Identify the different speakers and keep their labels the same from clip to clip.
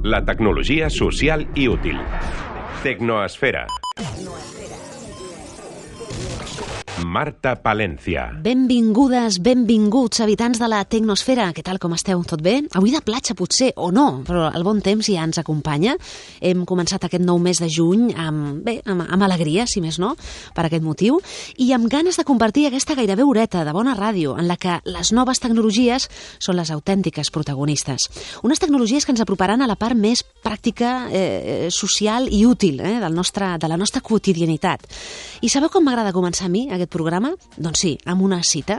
Speaker 1: La tecnologia social i útil. Tecnoesfera. Marta Palencia.
Speaker 2: Benvingudes, benvinguts, habitants de la Tecnosfera. Què tal, com esteu? Tot bé? Avui de platja, potser, o no, però el bon temps ja ens acompanya. Hem començat aquest nou mes de juny amb alegria, si més no, per aquest motiu, i amb ganes de compartir aquesta gairebé horeta de bona ràdio en la que les noves tecnologies són les autèntiques protagonistes. Unes tecnologies que ens aproparan a la part més pràctica, social i útil de la nostra quotidianitat. I sabeu com m'agrada començar a mi aquest programa? Doncs sí, amb una cita.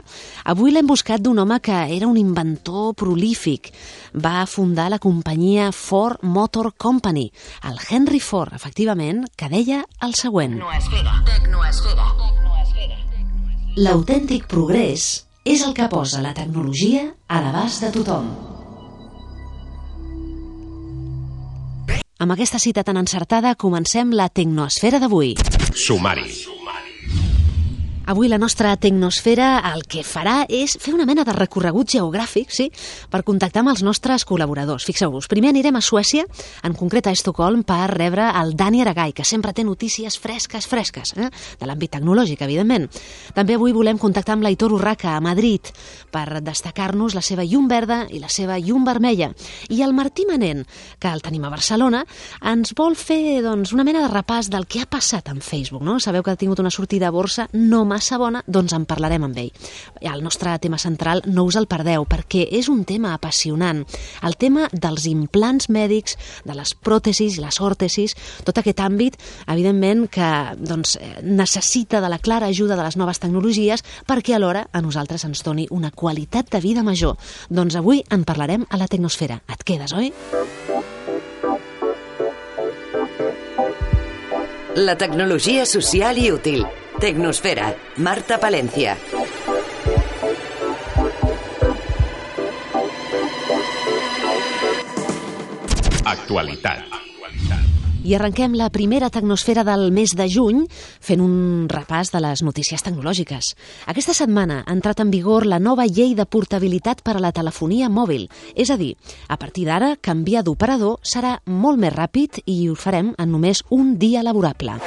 Speaker 2: Avui l'hem buscat d'un home que era un inventor prolífic. Va fundar la companyia Ford Motor Company, el Henry Ford, efectivament, que deia el següent.
Speaker 3: Tecnoesfera.
Speaker 2: L'autèntic progrés és el que posa la tecnologia a l'abast de tothom. Amb aquesta cita tan encertada comencem la Tecnoesfera d'avui.
Speaker 1: Sumari.
Speaker 2: Avui la nostra Tecnosfera el que farà és fer una mena de recorregut geogràfic, sí, per contactar amb els nostres col·laboradors. Fixeu-vos, primer anirem a Suècia, en concret a Estocolm, per rebre el Dani Aragai, que sempre té notícies fresques, de l'àmbit tecnològic, evidentment. També avui volem contactar amb l'Aitor Urraca, a Madrid, per destacar-nos la seva llum verda i la seva llum vermella. I el Martí Manent, que el tenim a Barcelona, ens vol fer una mena de repàs del que ha passat amb Facebook, no? Sabeu que ha tingut una sortida a borsa no massa bona, doncs en parlarem amb ell. El nostre tema central no us el perdeu, perquè és un tema apassionant. El tema dels implants mèdics, de les pròtesis i les òrtesis, tot aquest àmbit, evidentment, que necessita de la clara ajuda de les noves tecnologies perquè alhora a nosaltres ens doni una qualitat de vida major. Doncs avui en parlarem a la Tecnosfera. Et quedes, oi?
Speaker 3: La tecnologia social i útil. Tecnosfera. Marta Palencia.
Speaker 1: Actualitat.
Speaker 2: I arrenquem la primera Tecnosfera del mes de juny fent un repàs de les notícies tecnològiques. Aquesta setmana ha entrat en vigor la nova llei de portabilitat per a la telefonia mòbil. És a dir, a partir d'ara, canviar d'operador serà molt més ràpid i ho farem en només un dia laborable.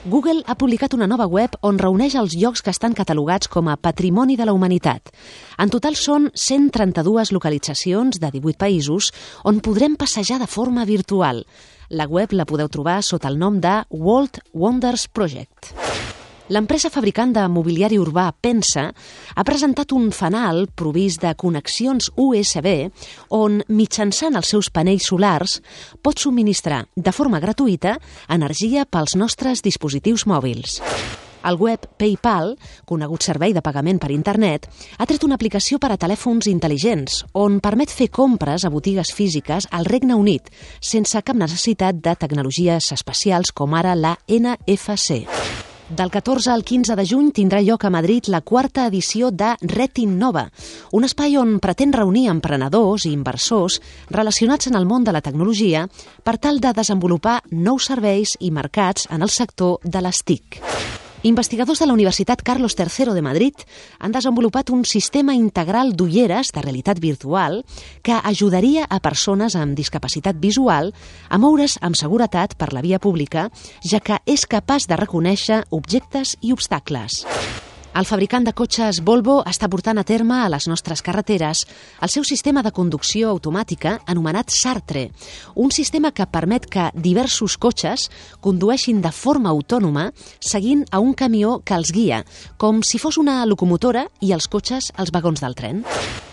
Speaker 2: Google ha publicat una nova web on reuneix els llocs que estan catalogats com a Patrimoni de la Humanitat. En total són 132 localitzacions de 18 països on podrem passejar de forma virtual. La web la podeu trobar sota el nom de World Wonders Project. L'empresa fabricant de mobiliari urbà Pensa ha presentat un fanal provist de connexions USB on, mitjançant els seus panells solars, pot subministrar de forma gratuïta energia pels nostres dispositius mòbils. El web PayPal, conegut servei de pagament per internet, ha tret una aplicació per a telèfons intel·ligents on permet fer compres a botigues físiques al Regne Unit sense cap necessitat de tecnologies especials com ara la NFC. Del 14 al 15 de juny tindrà lloc a Madrid la quarta edició de Retinnova, un espai on pretén reunir emprenedors i inversors relacionats en el món de la tecnologia per tal de desenvolupar nous serveis i mercats en el sector de les TIC. Investigadors de la Universitat Carlos III de Madrid han desenvolupat un sistema integral d'ulleres de realitat virtual que ajudaria a persones amb discapacitat visual a moure's amb seguretat per la via pública, ja que és capaç de reconèixer objectes i obstacles. El fabricant de cotxes Volvo està portant a terme a les nostres carreteres el seu sistema de conducció automàtica anomenat Sartre, un sistema que permet que diversos cotxes condueixin de forma autònoma seguint a un camió que els guia, com si fos una locomotora i els cotxes els vagons del tren.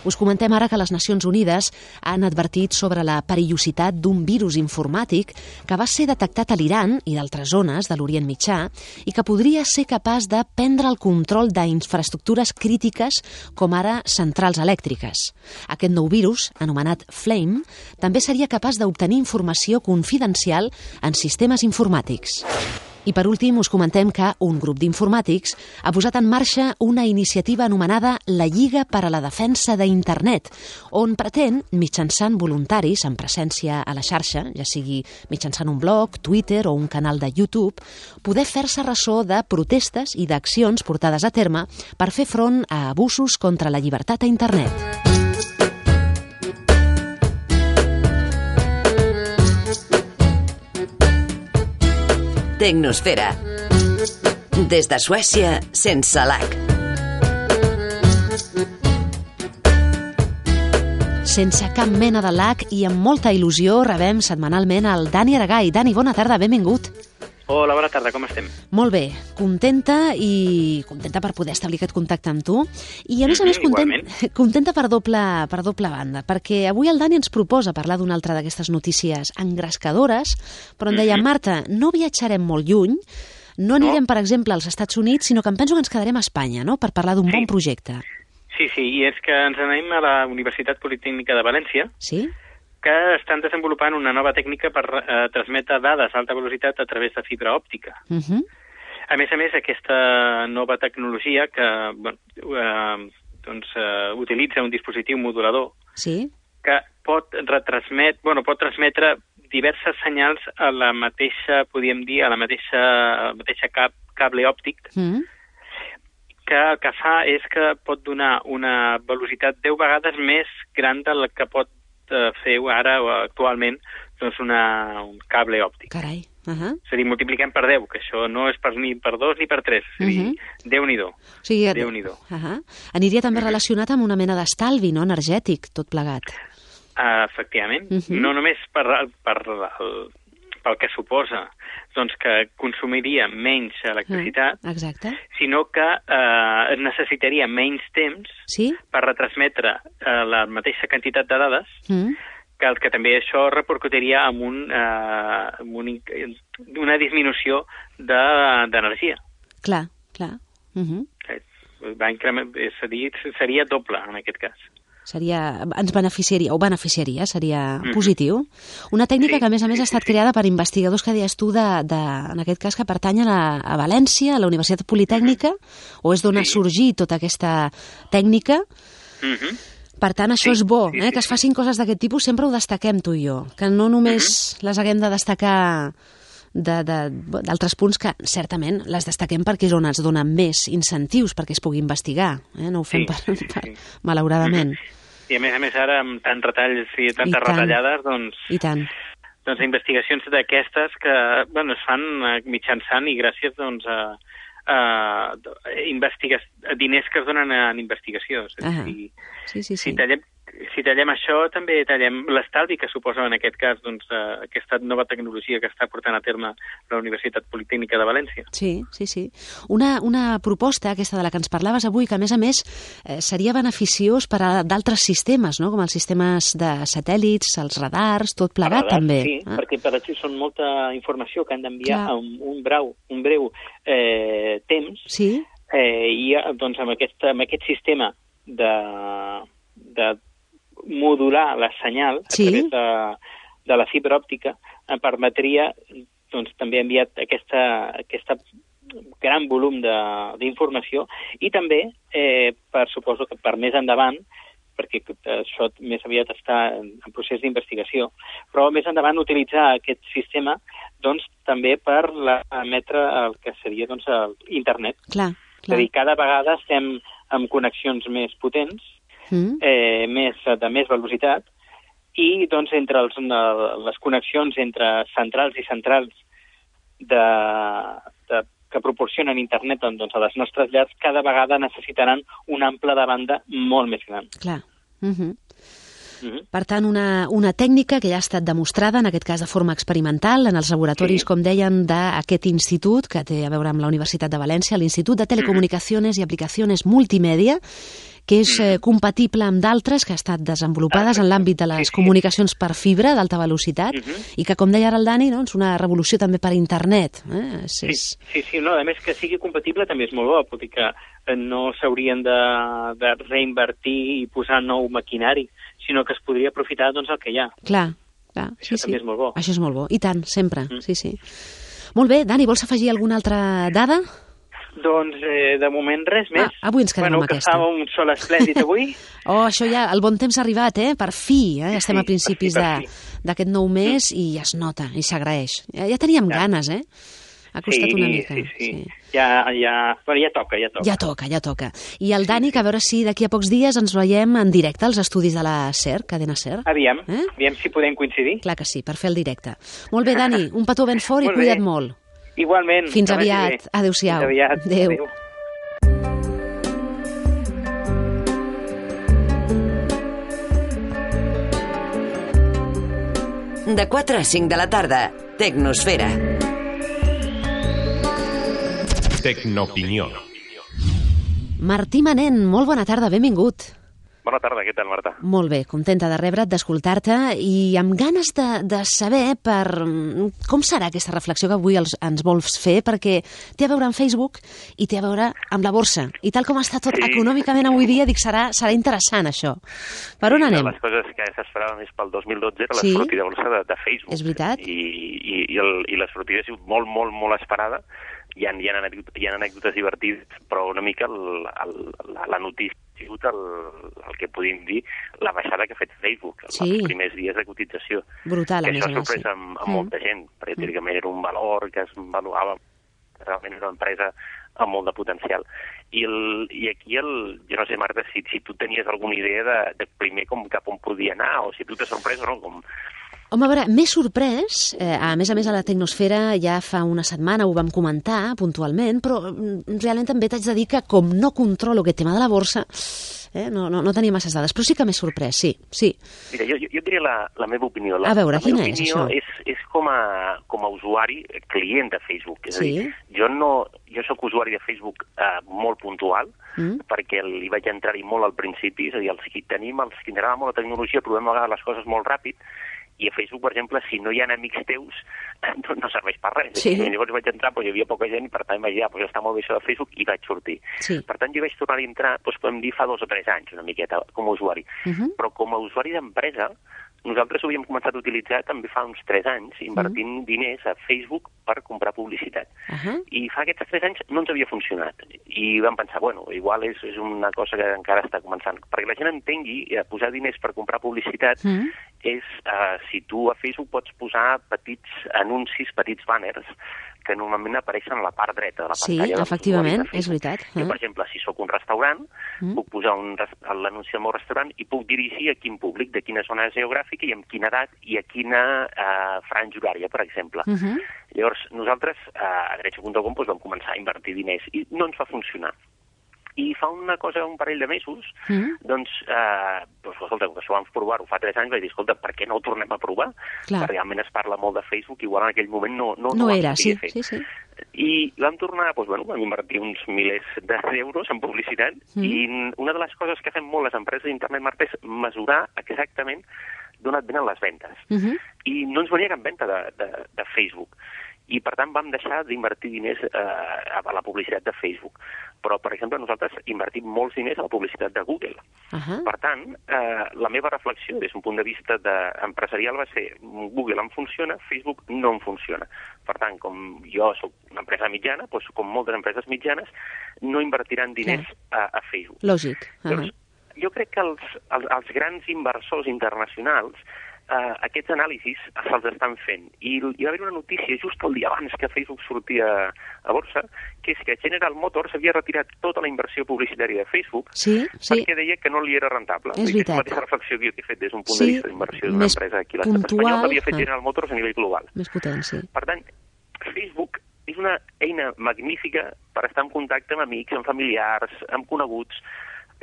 Speaker 2: Us comentem ara que les Nacions Unides han advertit sobre la perillositat d'un virus informàtic que va ser detectat a l'Iran i d'altres zones de l'Orient Mitjà i que podria ser capaç de prendre el control d'infraestructures crítiques com ara centrals elèctriques. Aquest nou virus, anomenat Flame, també seria capaç d'obtenir informació confidencial en sistemes informàtics. I per últim us comentem que un grup d'informàtics ha posat en marxa una iniciativa anomenada la Lliga per a la Defensa d'Internet, on pretén, mitjançant voluntaris en presència a la xarxa, ja sigui mitjançant un blog, Twitter o un canal de YouTube, poder fer-se ressò de protestes i d'accions portades a terme per fer front a abusos contra la llibertat a Internet.
Speaker 3: Tecnosfera. Des de Suècia, sense lac.
Speaker 2: Sense cap mena de lac i amb molta il·lusió rebem setmanalment el Dani Aragai. Dani, bona tarda, benvingut.
Speaker 4: Hola, bona tarda, com estem?
Speaker 2: Molt bé, contenta per poder establir aquest contacte amb tu i a més contenta per doble banda, perquè avui el Dani ens proposa parlar d'una altra d'aquestes notícies engrescadores, però em deia, Marta, no viatjarem molt lluny, no anirem, per exemple, als Estats Units, sinó que em penso que ens quedarem a Espanya, no?, per parlar d'un bon projecte.
Speaker 4: Sí, i és que ens anem a la Universitat Politècnica de València,
Speaker 2: sí?
Speaker 4: Que estan desenvolupant una nova tècnica per transmetre dades a alta velocitat a través de fibra òptica. A més, aquesta nova tecnologia que utilitza un dispositiu modulador que pot transmetre diverses senyals a la mateixa, podríem dir, a la mateixa cable òptic, que el que fa és que pot donar una velocitat 10 vegades més gran de la que pot fer ara o actualment un cable òptic.
Speaker 2: Carai.
Speaker 4: És a dir, multipliquem per 10, que això no és ni per 2 ni per 3. És a dir, Déu-n'hi-do.
Speaker 2: O sigui, aniria també relacionat amb una mena d'estalvi, no?, energètic, tot plegat.
Speaker 4: Efectivament. No només pel que suposa que consumiria menys electricitat, sinó que es necessitaria menys temps per retransmetre la mateixa quantitat de dades, que també això repercutiria en una disminució d'energia.
Speaker 2: Clar.
Speaker 4: És a dir, seria doble en aquest cas.
Speaker 2: Ens beneficiaria, seria positiu. Una tècnica que, a més, ha estat creada per investigadors que deies tu, en aquest cas, que pertanyen a València, a la Universitat Politècnica, o és d'on ha sorgit tota aquesta tècnica. Per tant, això és bo, que es facin coses d'aquest tipus, sempre ho destaquem tu i jo, que no només les haguem de destacar d'altres punts que, certament, les destaquem perquè és on ens donen més incentius perquè es pugui investigar. No ho fem malauradament.
Speaker 4: I a més ara, amb tants retalls i tantes retallades, doncs investigacions d'aquestes que es fan mitjançant i gràcies a diners que es donen en investigació. Si tallem això, també tallem l'estalvi que suposa en aquest cas aquesta nova tecnologia que està portant a terme la Universitat Politècnica de València.
Speaker 2: Sí. Una proposta, aquesta de la que ens parlaves avui, que a més seria beneficiós per a d'altres sistemes, no?, com els sistemes de satèl·lits, els radars, tot plegat també.
Speaker 4: Sí, perquè per això són molta informació que han d'enviar en un breu temps, i amb aquest sistema de modular la senyal a través de la fibra òptica em permetria també enviar aquest gran volum d'informació i també, suposo que per més endavant, perquè això més aviat està en procés d'investigació, però més endavant utilitzar aquest sistema també per emetre el que seria internet. És a dir, cada vegada estem amb connexions més potents, de més velocitat, i entre les connexions entre centrals i centrals que proporcionen internet a les nostres llars, cada vegada necessitaran un ample de banda molt més gran.
Speaker 2: Clar. Per tant, una tècnica que ja ha estat demostrada, en aquest cas de forma experimental, en els laboratoris, com deien, d'aquest institut, que té a veure amb la Universitat de València, l'Institut de Telecomunicaciones i Aplicacions Multimèdia, que és compatible amb d'altres que ha estat desenvolupades en l'àmbit de les comunicacions per fibra d'alta velocitat i que, com deia ara el Dani, és una revolució també per internet.
Speaker 4: Sí, a més que sigui compatible també és molt bo, vol dir que no s'haurien de reinvertir i posar nou maquinari, sinó que es podria aprofitar el que hi ha.
Speaker 2: Clar.
Speaker 4: Això també és molt bo.
Speaker 2: Això és molt bo, i tant, sempre. Sí. Molt bé, Dani, vols afegir alguna altra dada?
Speaker 4: Doncs, de moment, res més.
Speaker 2: Avui ens quedem amb aquesta.
Speaker 4: Que fa un sol esplèndid avui.
Speaker 2: Això ja, el bon temps ha arribat, per fi. Estem a principis d'aquest nou mes i ja es nota, i s'agraeix. Ja teníem ganes, Ha costat una mica.
Speaker 4: Sí. Ja toca.
Speaker 2: Ja toca. I el Dani, que a veure si d'aquí a pocs dies ens veiem en directe als estudis de la SER, cadena SER.
Speaker 4: Aviam si podem coincidir.
Speaker 2: Clar que sí, per fer el directe. Molt bé, Dani, un petó ben fort i cuida't molt.
Speaker 4: Igualment.
Speaker 2: Fins aviat. Adéu-siau.
Speaker 4: Fins aviat.
Speaker 2: Adéu.
Speaker 3: De 4 a 5 de la tarda, Tecnosfera.
Speaker 1: Tecnoopinió.
Speaker 2: Martí Manent, molt bona tarda, benvingut.
Speaker 5: Bona tarda, què tal, Marta?
Speaker 2: Molt bé, contenta de rebre't, d'escoltar-te i amb ganes de saber com serà aquesta reflexió que avui ens vols fer, perquè té a veure amb Facebook i té a veure amb la borsa. I tal com està tot econòmicament avui dia, dic, serà interessant, això. Per on anem?
Speaker 5: Les coses que s'esperaven més pel 2012 era la sortida de borsa de Facebook.
Speaker 2: És veritat.
Speaker 5: I la sortida ha sigut molt, molt, molt esperada. Hi ha anècdotes divertides, però una mica la notícia ha sigut el que podríem dir la baixada que ha fet Facebook els primers dies de cotització.
Speaker 2: Brutal, a més a més.
Speaker 5: Això ha sorprès amb molta gent, perquè teòricament era un valor que es valuava, realment era una empresa amb molt de potencial. I aquí, jo no sé, Marta, si tu tenies alguna idea de primer cap on podia anar, o si tu t'has sorprès o no,
Speaker 2: Home, a veure, m'he sorprès, a més a la Tecnosfera ja fa una setmana ho vam comentar puntualment, però realment també t'haig de dir que com no controlo aquest tema de la borsa, no tenia masses dades, però sí que m'he sorprès, sí.
Speaker 5: Mira, jo diria la meva opinió.
Speaker 2: A veure, quina és això?
Speaker 5: És com a usuari, client de Facebook. És a dir, jo soc usuari de Facebook molt puntual, perquè hi vaig entrar-hi molt al principi, és a dir, els que ens agrada molt la tecnologia, provem a vegades les coses molt ràpid, i a Facebook, per exemple, si no hi ha amics teus, no serveix per res. Sí. Llavors vaig entrar, hi havia poca gent, i per tant vaig dir, està molt bé això de Facebook, i vaig sortir. Sí. Per tant, jo vaig tornar a entrar, podem dir, fa 2 o 3 anys, una miqueta, com a usuari. Però com a usuari d'empresa, nosaltres ho havíem començat a utilitzar també fa uns 3 anys, invertint diners a Facebook per comprar publicitat. I fa aquests 3 anys no ens havia funcionat. I vam pensar, igual és una cosa que encara està començant. Perquè la gent entengui, posar diners per comprar publicitat és, si tu a Facebook pots posar petits anuncis, petits banners, que normalment apareixen a la part dreta de la pantalla.
Speaker 2: Sí, efectivament, és veritat.
Speaker 5: Jo, per exemple, si sóc un restaurant, puc posar l'anunci del meu restaurant i puc dirigir a quin públic, de quina zona geogràfica i amb quina edat i a quina franja horària, per exemple. Llavors, nosaltres a Derecho.com vam començar a invertir diners i no ens va funcionar. I fa un parell de mesos, escolta, que s'ho vam provar-ho fa 3 anys, vaig dir, escolta, per què no ho tornem a provar? Clar. Realment es parla molt de Facebook, igual en aquell moment no
Speaker 2: era, sí.
Speaker 5: I vam tornar, vam invertir uns milers d'euros en publicitat, i una de les coses que fem molt les empreses d'internet, Marta, és mesurar exactament d'on et venen les ventes. I no ens venia cap venta de Facebook. I, per tant, vam deixar d'invertir diners a la publicitat de Facebook. Però, per exemple, nosaltres invertim molts diners a la publicitat de Google. Per tant, la meva reflexió des d'un punt de vista empresarial va ser Google em funciona, Facebook no em funciona. Per tant, com jo soc una empresa mitjana, com moltes empreses mitjanes, no invertiran diners a Facebook.
Speaker 2: Lògic.
Speaker 5: Llavors, jo crec que els grans inversors internacionals aquests anàlisis se'ls estan fent. I hi va haver una notícia just el dia abans que Facebook sortia a borsa, que és que General Motors havia retirat tota la inversió publicitària de Facebook perquè deia que no li era rentable.
Speaker 2: És veritat.
Speaker 5: És la mateixa reflexió que jo he fet des d'un punt de vista d'inversió d'una empresa aquí a l'estat espanyol que havia fet General Motors a nivell global.
Speaker 2: Més potent, sí.
Speaker 5: Per tant, Facebook és una eina magnífica per estar en contacte amb amics, amb familiars, amb coneguts,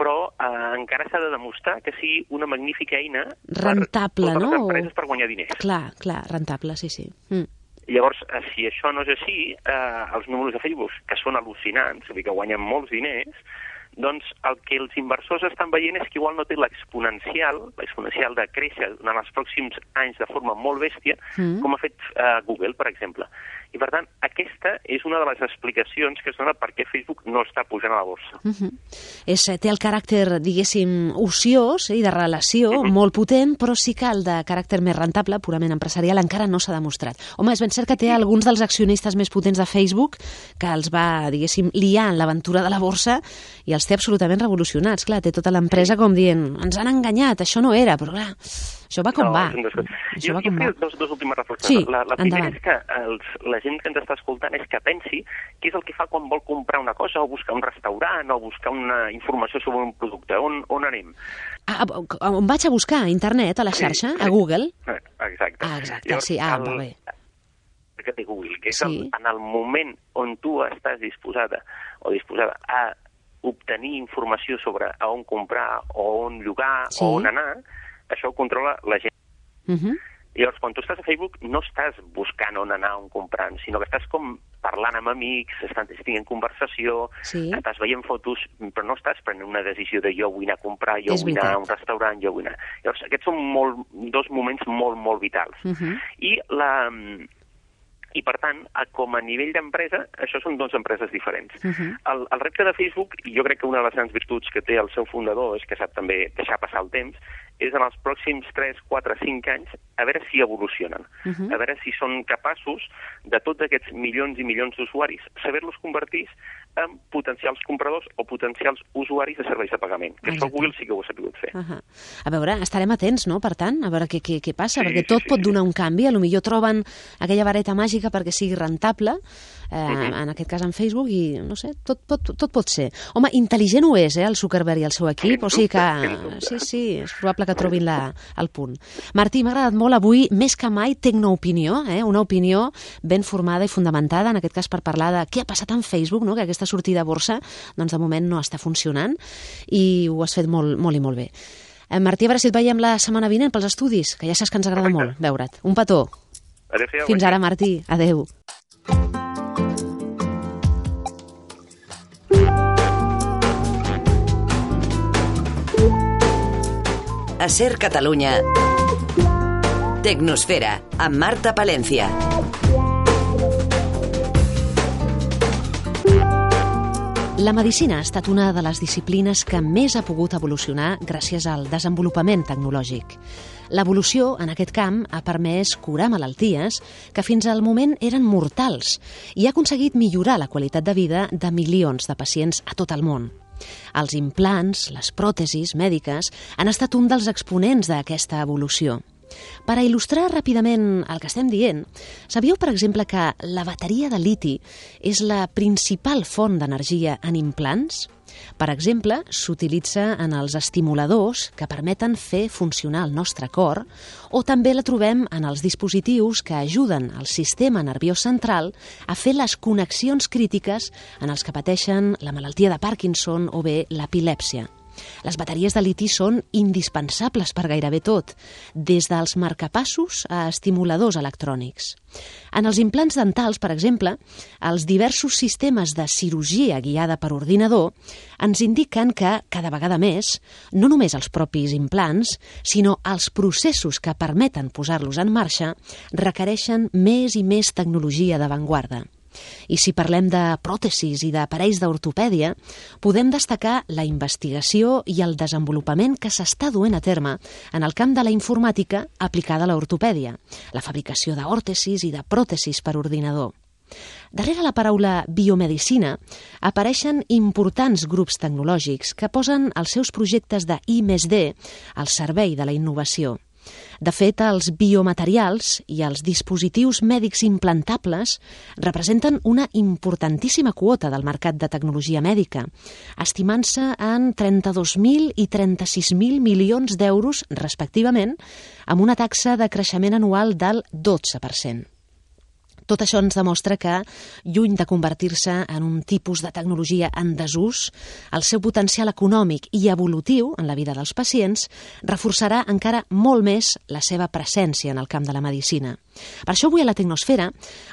Speaker 5: però encara s'ha de demostrar que sigui una magnífica eina
Speaker 2: rentable,
Speaker 5: per totes les empreses per guanyar diners.
Speaker 2: Clar, rentable, sí.
Speaker 5: Llavors, si això no és així, els números de Facebook, que són al·lucinants, és a dir, que guanyen molts diners, doncs el que els inversors estan veient és que igual no té l'exponencial de créixer en els pròxims anys de forma molt bèstia, com ha fet Google, per exemple. I, per tant, aquesta és una de les explicacions que es dona per què Facebook no està pujant a la borsa.
Speaker 2: Té el caràcter, diguéssim, ociós i de relació molt potent, però sí que el de caràcter més rentable, purament empresarial, encara no s'ha demostrat. Home, és ben cert que té alguns dels accionistes més potents de Facebook que els va, diguéssim, liar en l'aventura de la borsa i els té absolutament revolucionats. Clar, té tota l'empresa com dient, ens han enganyat, això no era, però clar, això va com va.
Speaker 5: Jo faig dos últimes reflexions. La primera és que la gent que ens està escoltant és que pensi què és el que fa quan vol comprar una cosa o buscar un restaurant o buscar una informació sobre un producte. On anem?
Speaker 2: On vaig a buscar? A internet, a la xarxa? A Google?
Speaker 5: Exacte.
Speaker 2: Exacte, sí. Molt bé.
Speaker 5: que té Google, que és en el moment on tu estàs disposada o disposada a obtenir informació sobre a on comprar, o on llogar, o on anar, això ho controla la gent. Llavors, quan tu estàs a Facebook, no estàs buscant on anar, on comprant, sinó que estàs com parlant amb amics, estàs tenint conversació, estàs veient fotos, però no estàs prenent una decisió de jo vull anar a comprar, jo vull anar a un restaurant, jo vull anar... Llavors, aquests són dos moments molt, molt vitals. I, per tant, com a nivell d'empresa, això són dues empreses diferents. El repte de Facebook, i jo crec que una de les grans virtuts que té el seu fundador és que sap també deixar passar el temps, és en els pròxims 3, 4, 5 anys a veure si evolucionen, a veure si són capaços de tots aquests milions i milions d'usuaris saber-los convertir en potencials compradors o potencials usuaris de serveis de pagament, que això Google sí que ho ha sabut fer.
Speaker 2: A veure, estarem atents, no?, per tant, a veure què passa, perquè tot pot donar un canvi, potser troben aquella vareta màgica perquè sigui rentable, en aquest cas en Facebook, i no sé, tot pot ser. Home, intel·ligent ho és, el Zuckerberg i el seu equip, o sigui que sí, és probable que trobin el punt. Martí, m'ha agradat molt avui, més que mai, Tecnoopinió, una opinió ben formada i fundamentada, en aquest cas per parlar de què ha passat en Facebook, no?, que aquesta sortida a borsa, doncs de moment no està funcionant, i ho has fet molt, molt i molt bé. Martí, a veure si et veiem la setmana vinent pels estudis, que ja saps que ens agrada molt veure't. Un petó.
Speaker 5: Adéu-siau.
Speaker 2: Fins ara, Martí. Adéu.
Speaker 3: A Ser Catalunya, Tecnosfera, amb Marta Palencia.
Speaker 2: La medicina ha estat una de les disciplines que més ha pogut evolucionar gràcies al desenvolupament tecnològic. L'evolució en aquest camp ha permès curar malalties que fins al moment eren mortals i ha aconseguit millorar la qualitat de vida de milions de pacients a tot el món. Els implants, les pròtesis mèdiques, han estat un dels exponents d'aquesta evolució. Per a il·lustrar ràpidament el que estem dient, sabíeu, per exemple, que la bateria de liti és la principal font d'energia en implants? Per exemple, s'utilitza en els estimuladors que permeten fer funcionar el nostre cor, o també la trobem en els dispositius que ajuden al sistema nerviós central a fer les connexions crítiques en els que pateixen la malaltia de Parkinson o bé l'epilèpsia. Les bateries de liti són indispensables per gairebé tot, des dels marcapassos a estimuladors electrònics. En els implants dentals, per exemple, els diversos sistemes de cirurgia guiada per ordinador ens indiquen que, cada vegada més, no només els propis implants, sinó els processos que permeten posar-los en marxa, requereixen més i més tecnologia d'avantguarda. I si parlem de pròtesis i d'aparells d'ortopèdia, podem destacar la investigació i el desenvolupament que s'està duent a terme en el camp de la informàtica aplicada a l'ortopèdia, la fabricació d'òrtesis i de pròtesis per ordinador. Darrere la paraula biomedicina apareixen importants grups tecnològics que posen els seus projectes de I+D al servei de la innovació. De fet, els biomaterials i els dispositius mèdics implantables representen una importantíssima quota del mercat de tecnologia mèdica, estimant-se en 32.000 i 36.000 milions d'euros, respectivament, amb una taxa de creixement anual del 12%. Tot això ens demostra que, lluny de convertir-se en un tipus de tecnologia en desús, el seu potencial econòmic i evolutiu en la vida dels pacients reforçarà encara molt més la seva presència en el camp de la medicina. Per això avui a la Tecnosfera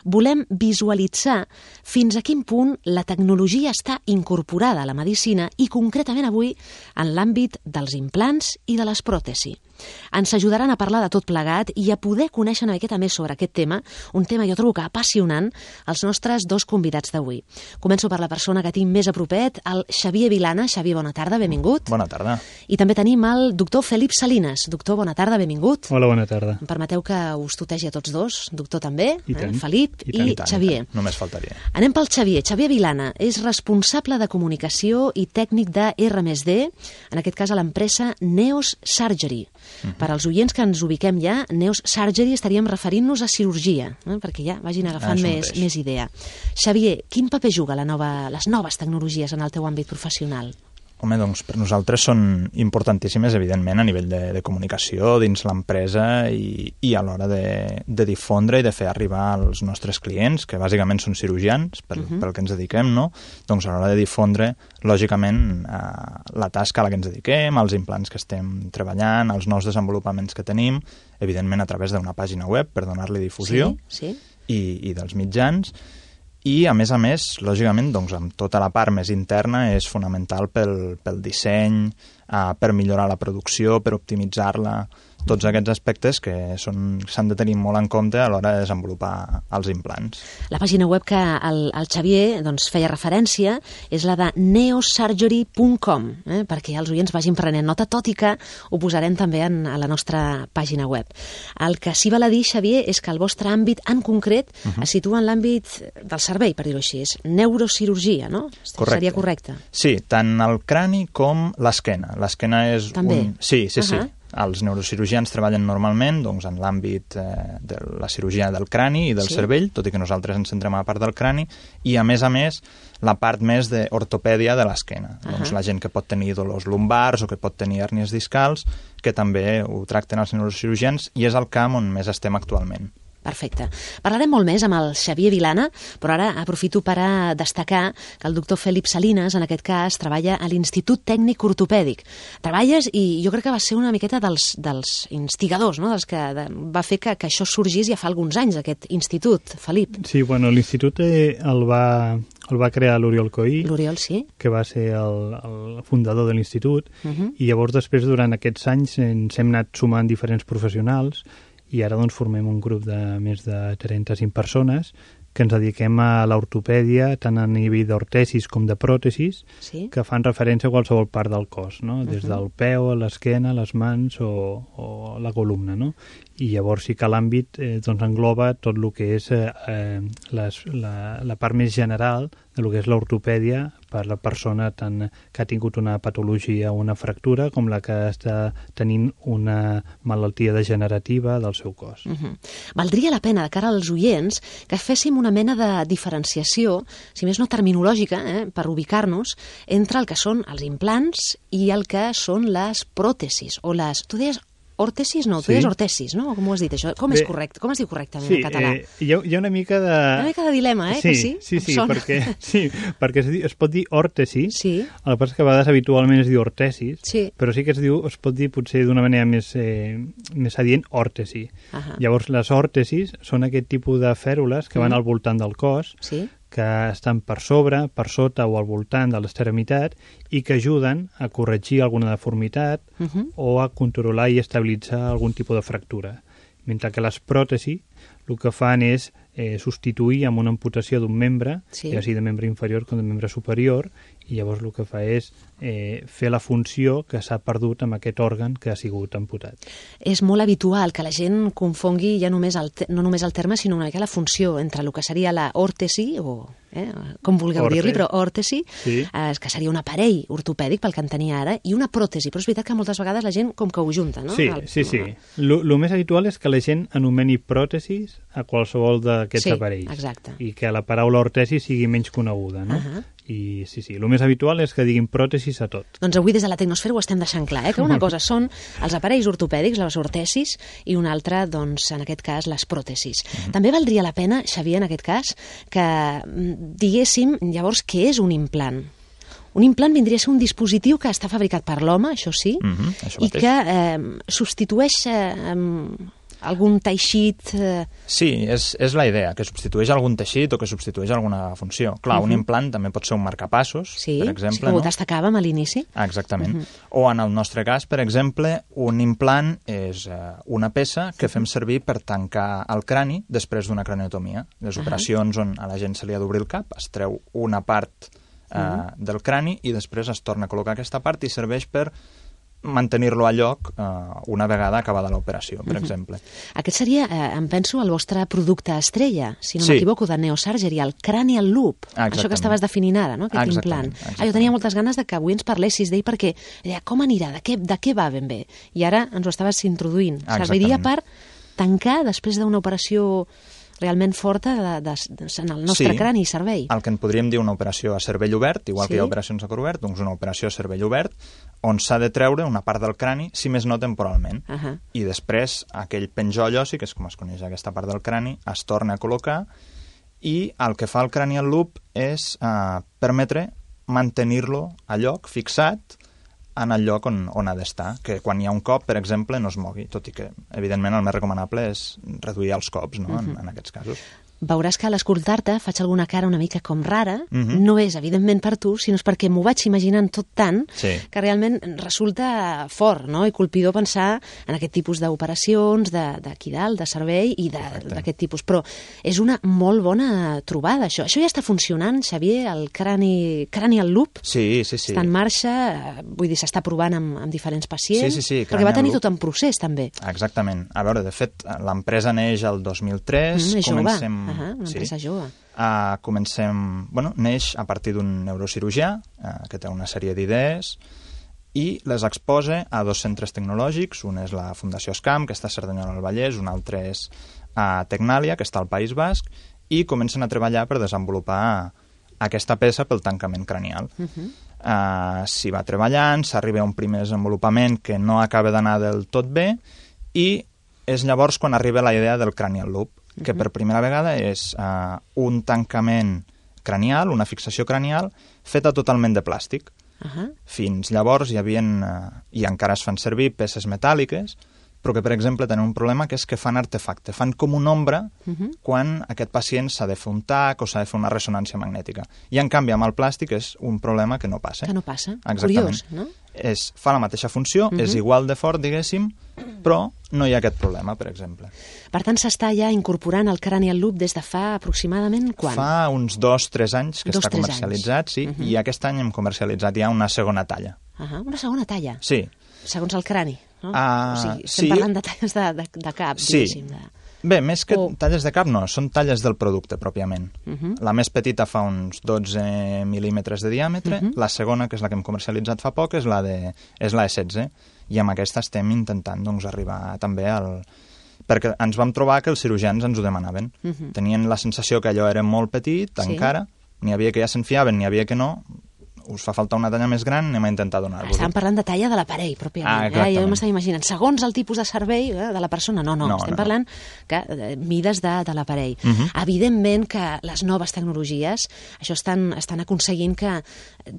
Speaker 2: volem visualitzar fins a quin punt la tecnologia està incorporada a la medicina i concretament avui en l'àmbit dels implants i de les pròtesis. Ens ajudaran a parlar de tot plegat i a poder conèixer una miqueta més sobre aquest tema, un tema jo trobo que apassionant, els nostres dos convidats d'avui. Començo per la persona que tinc més a propet, el Xavier Vilana. Xavier, bona tarda, benvingut.
Speaker 6: Bona tarda.
Speaker 2: I també tenim el doctor Felip Salinas. Doctor, bona tarda, benvingut.
Speaker 6: Hola, bona tarda.
Speaker 2: Em permeteu que us tutegi a tots dos, doctor també, Felip i Xavier.
Speaker 6: Només faltaria.
Speaker 2: Anem pel Xavier. Xavier Vilana és responsable de comunicació i tècnic de R+D, en aquest cas a l'empresa Neos Surgery. Per als oients que ens ubiquem ja, Neos Surgery estaríem referint-nos a cirurgia, perquè ja vagin agafant més idea. Xavier, quin paper juga les noves tecnologies en el teu àmbit professional?
Speaker 6: Home, doncs per nosaltres són importantíssimes, evidentment, a nivell de comunicació dins l'empresa i a l'hora de difondre i de fer arribar als nostres clients, que bàsicament són cirurgians, pel que ens dediquem, no? Doncs a l'hora de difondre, lògicament, la tasca a la que ens dediquem, els implants que estem treballant, els nous desenvolupaments que tenim, evidentment a través d'una pàgina web per donar-li difusió i dels mitjans. I, a més, lògicament, doncs, amb tota la part més interna és fonamental pel disseny, per millorar la producció, per optimitzar-la, tots aquests aspectes que s'han de tenir molt en compte a l'hora de desenvolupar els implants.
Speaker 2: La pàgina web que el Xavier feia referència és la de neosurgery.com, perquè els oients vagin prenent nota, tot i que ho posarem també a la nostra pàgina web. El que sí val a dir, Xavier, és que el vostre àmbit en concret es situa en l'àmbit del cervell, per dir-ho així, és neurocirurgia, no?
Speaker 6: Correcte.
Speaker 2: Seria correcte?
Speaker 6: Sí, tant el crani com l'esquena. L'esquena és
Speaker 2: també?
Speaker 6: Sí. Els neurocirurgians treballen normalment doncs, en l'àmbit de la cirurgia del crani i del cervell, tot i que nosaltres ens centrem a la part del crani, i a més, la part més d'ortopèdia de l'esquena. Doncs la gent que pot tenir dolors lumbars o que pot tenir hèrnies discals, que també ho tracten els neurocirurgians, i és el camp on més estem actualment.
Speaker 2: Perfecte. Parlarem molt més amb el Xavier Vilana, però ara aprofito per a destacar que el doctor Felip Salinas, en aquest cas, treballa a l'Institut Tècnic Ortopèdic. Treballes i jo crec que va ser una miqueta dels instigadors, no? Dels que va fer que això sorgís ja fa alguns anys, aquest institut, Felip.
Speaker 7: Sí, bueno, l'institut el va crear l'Oriol Coí,
Speaker 2: l'Oriol, sí,
Speaker 7: que va ser el fundador de l'institut, i llavors després, durant aquests anys, ens hem anat sumant diferents professionals, i ara doncs formem un grup de més de 35 persones que ens dediquem a l'ortopèdia, tant a nivell d'ortesis com de pròtesis, que fan referència a qualsevol part del cos, no? Des del peu, l'esquena, les mans o la columna, no? I llavors sí que l'àmbit doncs engloba tot el que és la part més general de lo que és l'ortopèdia per la persona tant que ha tingut una patologia o una fractura com la que està tenint una malaltia degenerativa del seu cos.
Speaker 2: Valdria la pena, de cara als oients, que féssim una mena de diferenciació, si més no terminològica, per ubicar-nos, entre el que són els implants i el que són les pròtesis, o les... Tu deies òrtesis? No, tu deies ortesis, no? Com ho has dit, això? Com és correcte? Com es diu correctament en català?
Speaker 7: Hi ha una mica de...
Speaker 2: Una mica de dilema,
Speaker 7: Sí, perquè es pot dir òrtesi, el que passa és que a vegades habitualment es diu ortesis, però sí que es pot dir potser d'una manera més adient òrtesi. Llavors, les òrtesis són aquest tipus de fèrules que van al voltant del cos, que estan per sobre, per sota o al voltant de l'extremitat i que ajuden a corregir alguna deformitat o a controlar i estabilitzar algun tipus de fractura. Mentre que les pròtesis el que fan és substituir amb una amputació d'un membre, ja sigui de membre inferior com de membre superior, i llavors el que fa és fer la funció que s'ha perdut amb aquest òrgan que ha sigut amputat.
Speaker 2: És molt habitual que la gent confongui ja no només el terme, sinó una mica la funció entre el que seria la òrtesi, o com vulgueu dir-li, però òrtesi, que seria un aparell ortopèdic pel que en tenia ara, i una pròtesi, però és veritat que moltes vegades la gent com que ho junta, no?
Speaker 7: Sí. El més habitual és que la gent anomeni pròtesis a qualsevol d'aquests aparells.
Speaker 2: Exacte.
Speaker 7: I que la paraula ortesi sigui menys coneguda, no? I el més habitual és que diguin pròtesis a tot.
Speaker 2: Doncs avui des de la Tecnosfera ho estem deixant clar, que una cosa són els aparells ortopèdics, les ortesis, i una altra, doncs, en aquest cas, les pròtesis. També valdria la pena, Xavier, en aquest cas, que diguéssim, llavors, què és un implant? Un implant vindria a ser un dispositiu que està fabricat per l'home, això sí, i que substitueix algun teixit...
Speaker 6: Sí, és la idea, que substitueix algun teixit o que substitueix alguna funció. Clar, un implant també pot ser un marcapassos, per exemple.
Speaker 2: Sí, ho destacàvem a l'inici.
Speaker 6: Exactament. O en el nostre cas, per exemple, un implant és una peça que fem servir per tancar el crani després d'una craniotomia. Les operacions on a la gent se li ha d'obrir el cap, es treu una part del crani i després es torna a col·locar aquesta part i serveix per mantenir-lo a lloc una vegada acabada l'operació, per exemple.
Speaker 2: Aquest seria, em penso, el vostre producte estrella, si no m'equivoco, de Neosurgery, el Cranial Loop. Això que estaves definint ara, no? Aquest implant. Jo tenia moltes ganes de que avui ens parlessis d'ell perquè com anirà, de què va ben bé? I ara ens ho estaves introduint. Serviria per tancar després d'una operació realment forta en el nostre crani i cervell.
Speaker 6: El que en podríem dir una operació a cervell obert, igual que hi ha operacions a cor obert, doncs una operació a cervell obert, on s'ha de treure una part del crani, si més no temporalment. I després aquell penjoll ossi, que és com es coneix aquesta part del crani, es torna a col·locar i el que fa el cranial loop és permetre mantenir-lo a lloc, fixat, en el lloc on ha d'estar, que quan hi ha un cop, per exemple, no es mogui, tot i que, evidentment, el més recomanable és reduir els cops, no?, en aquests casos.
Speaker 2: Veuràs que a l'escoltar-te faig alguna cara una mica com rara, no és evidentment per tu, sinó és perquè m'ho vaig imaginant tot tant que realment resulta fort, no?, i colpidor pensar en aquest tipus d'operacions d'aquí dalt, de servei i d'aquest tipus, però és una molt bona trobada, això. Això ja està funcionant, Xavier, el cranial loop?
Speaker 6: Sí.
Speaker 2: Està en marxa, vull dir, s'està provant amb diferents pacients,
Speaker 6: sí,
Speaker 2: perquè va tenir tot en procés, també.
Speaker 6: Exactament. A veure, de fet, l'empresa neix el 2003, comencem...
Speaker 2: una empresa jove.
Speaker 6: Neix a partir d'un neurocirurgià que té una sèrie d'idees i les exposa a 2 centres tecnològics. Un és la Fundació SCAM, que està a Cerdanyola del Vallès, un altre és a Tecnàlia, que està al País Basc, i comencen a treballar per desenvolupar aquesta peça pel tancament cranial. S'hi va treballant, s'arriba a un primer desenvolupament que no acaba d'anar del tot bé i és llavors quan arriba la idea del cranial loop, que per primera vegada és un tancament cranial, una fixació cranial, feta totalment de plàstic. Fins llavors hi havien, i encara es fan servir, peces metàl·liques, però que, per exemple, tenen un problema que és que fan artefacte, fan com una ombra quan aquest pacient s'ha de fer un tac o s'ha de fer una ressonància magnètica. I, en canvi, amb el plàstic és un problema que no passa.
Speaker 2: Que no passa.
Speaker 6: Exactament.
Speaker 2: Curiós, no?
Speaker 6: Fa la mateixa funció, és igual de fort, diguéssim, però no hi ha aquest problema, per exemple.
Speaker 2: Per tant, s'està ja incorporant el cranial loop des de fa aproximadament quan?
Speaker 6: Fa uns 2-3 anys que està comercialitzat, sí, i aquest any hem comercialitzat ja una segona talla.
Speaker 2: Una segona talla?
Speaker 6: Sí.
Speaker 2: Segons el crani, no? O sigui, estem parlant de talles de cap, diguéssim.
Speaker 6: Bé, més que talles de cap no, són talles del producte pròpiament. La més petita fa uns 12 mil·límetres de diàmetre, la segona, que és la que hem comercialitzat fa poc, és la E16, i amb aquesta estem intentant arribar també perquè ens vam trobar que els cirurgians ens ho demanaven. Tenien la sensació que allò era molt petit, encara, n'hi havia que ja se'n fiaven, n'hi havia que no. Us fa falta una talla més gran, anem a intentar donar-vos.
Speaker 2: Estàvem parlant de talla de l'aparell, pròpiament. Jo m'estava imaginant, segons el tipus de servei de la persona. No, estem parlant que mides de l'aparell. Evidentment que les noves tecnologies això estan aconseguint que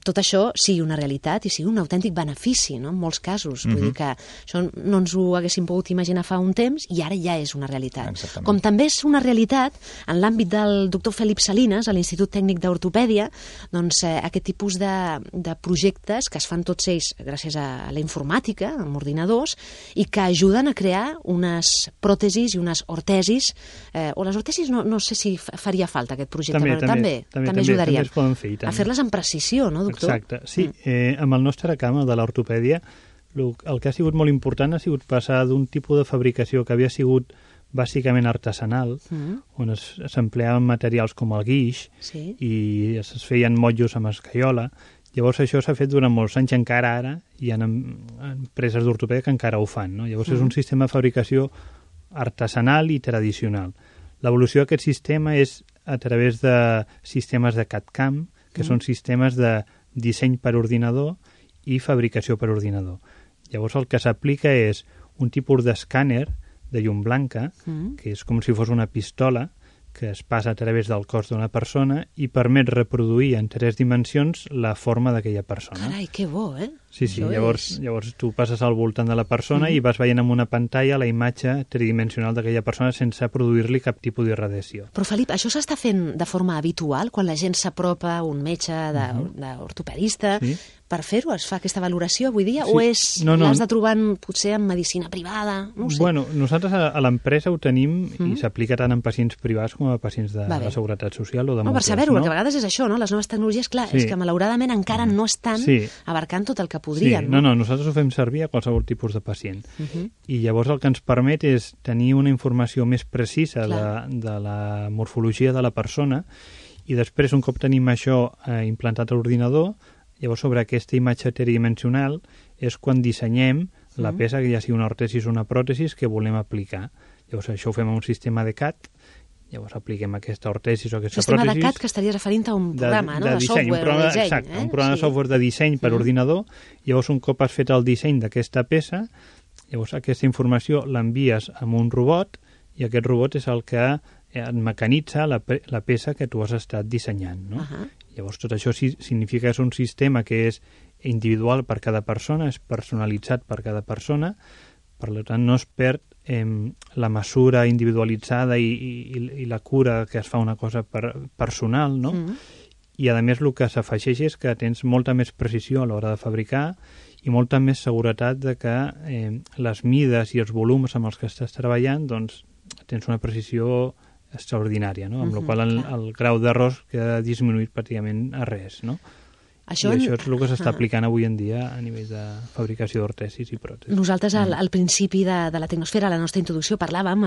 Speaker 2: tot això sigui una realitat i sigui un autèntic benefici, no?, en molts casos. Vull dir que això no ens ho haguéssim pogut imaginar fa un temps i ara ja és una realitat.
Speaker 6: Exactament.
Speaker 2: Com també és una realitat en l'àmbit del doctor Felip Salinas, a l'Institut Tècnic d'Ortopèdia, doncs aquest tipus de projectes que es fan tots ells gràcies a la informàtica, amb ordinadors, i que ajuden a crear unes pròtesis i unes ortesis, o les ortesis no sé si faria falta aquest projecte, però també ajudaria a fer-les amb precisió, no, doctor?
Speaker 7: Exacte, sí. Amb el nostre camp, el de l'ortopèdia, el que ha sigut molt important ha sigut passar d'un tipus de fabricació que havia sigut bàsicament artesanal, on s'empleaven materials com el guix i es feien motllos amb escaiola. Llavors això s'ha fet durant molts anys, encara ara hi ha empreses d'ortopèdia que encara ho fan, no? Llavors és un sistema de fabricació artesanal i tradicional. L'evolució d'aquest sistema és a través de sistemes de CAD/CAM, que són sistemes de disseny per ordinador i fabricació per ordinador. Llavors el que s'aplica és un tipus d'escàner de llum blanca, que és com si fos una pistola que es passa a través del cos d'una persona i permet reproduir en 3 dimensions la forma d'aquella persona.
Speaker 2: Carai, que bo, eh?
Speaker 7: Sí, llavors tu passes al voltant de la persona i vas veient en una pantalla la imatge tridimensional d'aquella persona sense produir-li cap tipus d'irradiació.
Speaker 2: Però, Felip, això s'està fent de forma habitual quan la gent s'apropa a un metge d'ortopedista per fer-ho? Es fa aquesta valoració avui dia? O l'has de trobar potser en medicina privada? No ho sé.
Speaker 7: Bueno, nosaltres a l'empresa ho tenim i s'aplica tant en pacients privats com a pacients de la Seguretat Social o de
Speaker 2: per saber-ho, perquè a vegades és això, no? Les noves tecnologies, clar, és que malauradament encara no estan abarcant tot el que podrien.
Speaker 7: No, nosaltres ho fem servir a qualsevol tipus de pacient. I llavors el que ens permet és tenir una informació més precisa de la morfologia de la persona i després, un cop tenim això implantat a l'ordinador, llavors sobre aquesta imatge tridimensional és quan dissenyem la peça, que ja sigui una ortesis o una pròtesis, que volem aplicar. Llavors això ho fem amb un sistema de CAD Llavors apliquem aquesta ortesis o aquesta
Speaker 2: sistema
Speaker 7: pròtesis.
Speaker 2: de CAD que estaria referint a un programa, de
Speaker 7: disseny,
Speaker 2: software de disseny.
Speaker 7: Exacte, un programa de software de disseny per ordinador. Llavors, un cop has fet el disseny d'aquesta peça, llavors aquesta informació l'envies a un robot i aquest robot és el que et mecanitza la peça que tu has estat dissenyant. No? Llavors, tot això significa que és un sistema que és individual per cada persona, és personalitzat per cada persona, per tant no es perd la mesura individualitzada i la cura que es fa una cosa personal, no? I a més el que s'afegeix és que tens molta més precisió a l'hora de fabricar i molta més seguretat de que les mides i els volums amb els que estàs treballant doncs tens una precisió extraordinària, no? Amb la qual el grau d'errors queda disminuït pràcticament a res, no? Això és el que s'està aplicant avui en dia a nivell de fabricació d'ortesis i pròtesis.
Speaker 2: Nosaltres al principi de la Tecnosfera, a la nostra introducció, parlàvem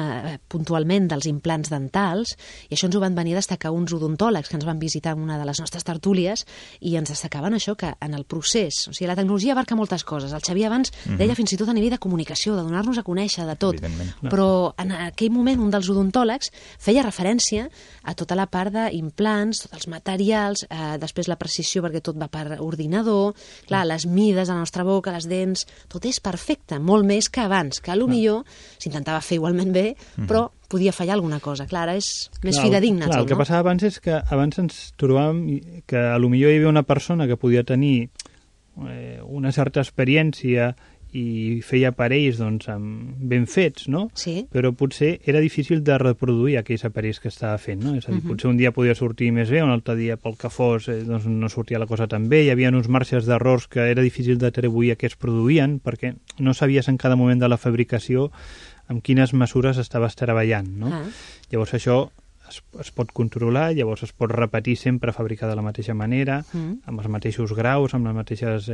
Speaker 2: puntualment dels implants dentals i això ens ho van venir a destacar uns odontòlegs que ens van visitar en una de les nostres tertúlies i ens destacaven això, que en el procés, o sigui, la tecnologia abarca moltes coses. El Xavier abans deia fins i tot a nivell de comunicació, de donar-nos a conèixer, de tot. Però en aquell moment un dels odontòlegs feia referència a tota la part d'implants, tots els materials, després la precisió perquè tot va per ordinador, clar, les mides de la nostra boca, les dents, tot és perfecte, molt més que abans, que potser s'intentava fer igualment bé, però podia fallar alguna cosa. Clar, ara és més fidedigna tot, no?
Speaker 7: El que passava abans és que abans ens trobàvem que potser hi havia una persona que podia tenir una certa experiència i feia aparells doncs, ben fets, no?
Speaker 2: Sí.
Speaker 7: Però potser era difícil de reproduir aquells aparells que estava fent, no? És a dir, potser un dia podia sortir més bé, un altre dia pel que fos doncs no sortia la cosa tan bé, hi havia uns marges d'errors que era difícil d'atribuir a què es produïen perquè no sabies en cada moment de la fabricació amb quines mesures estaves treballant, no? Llavors això es pot controlar, llavors es pot repetir sempre fabricar de la mateixa manera, amb els mateixos graus, amb les mateixes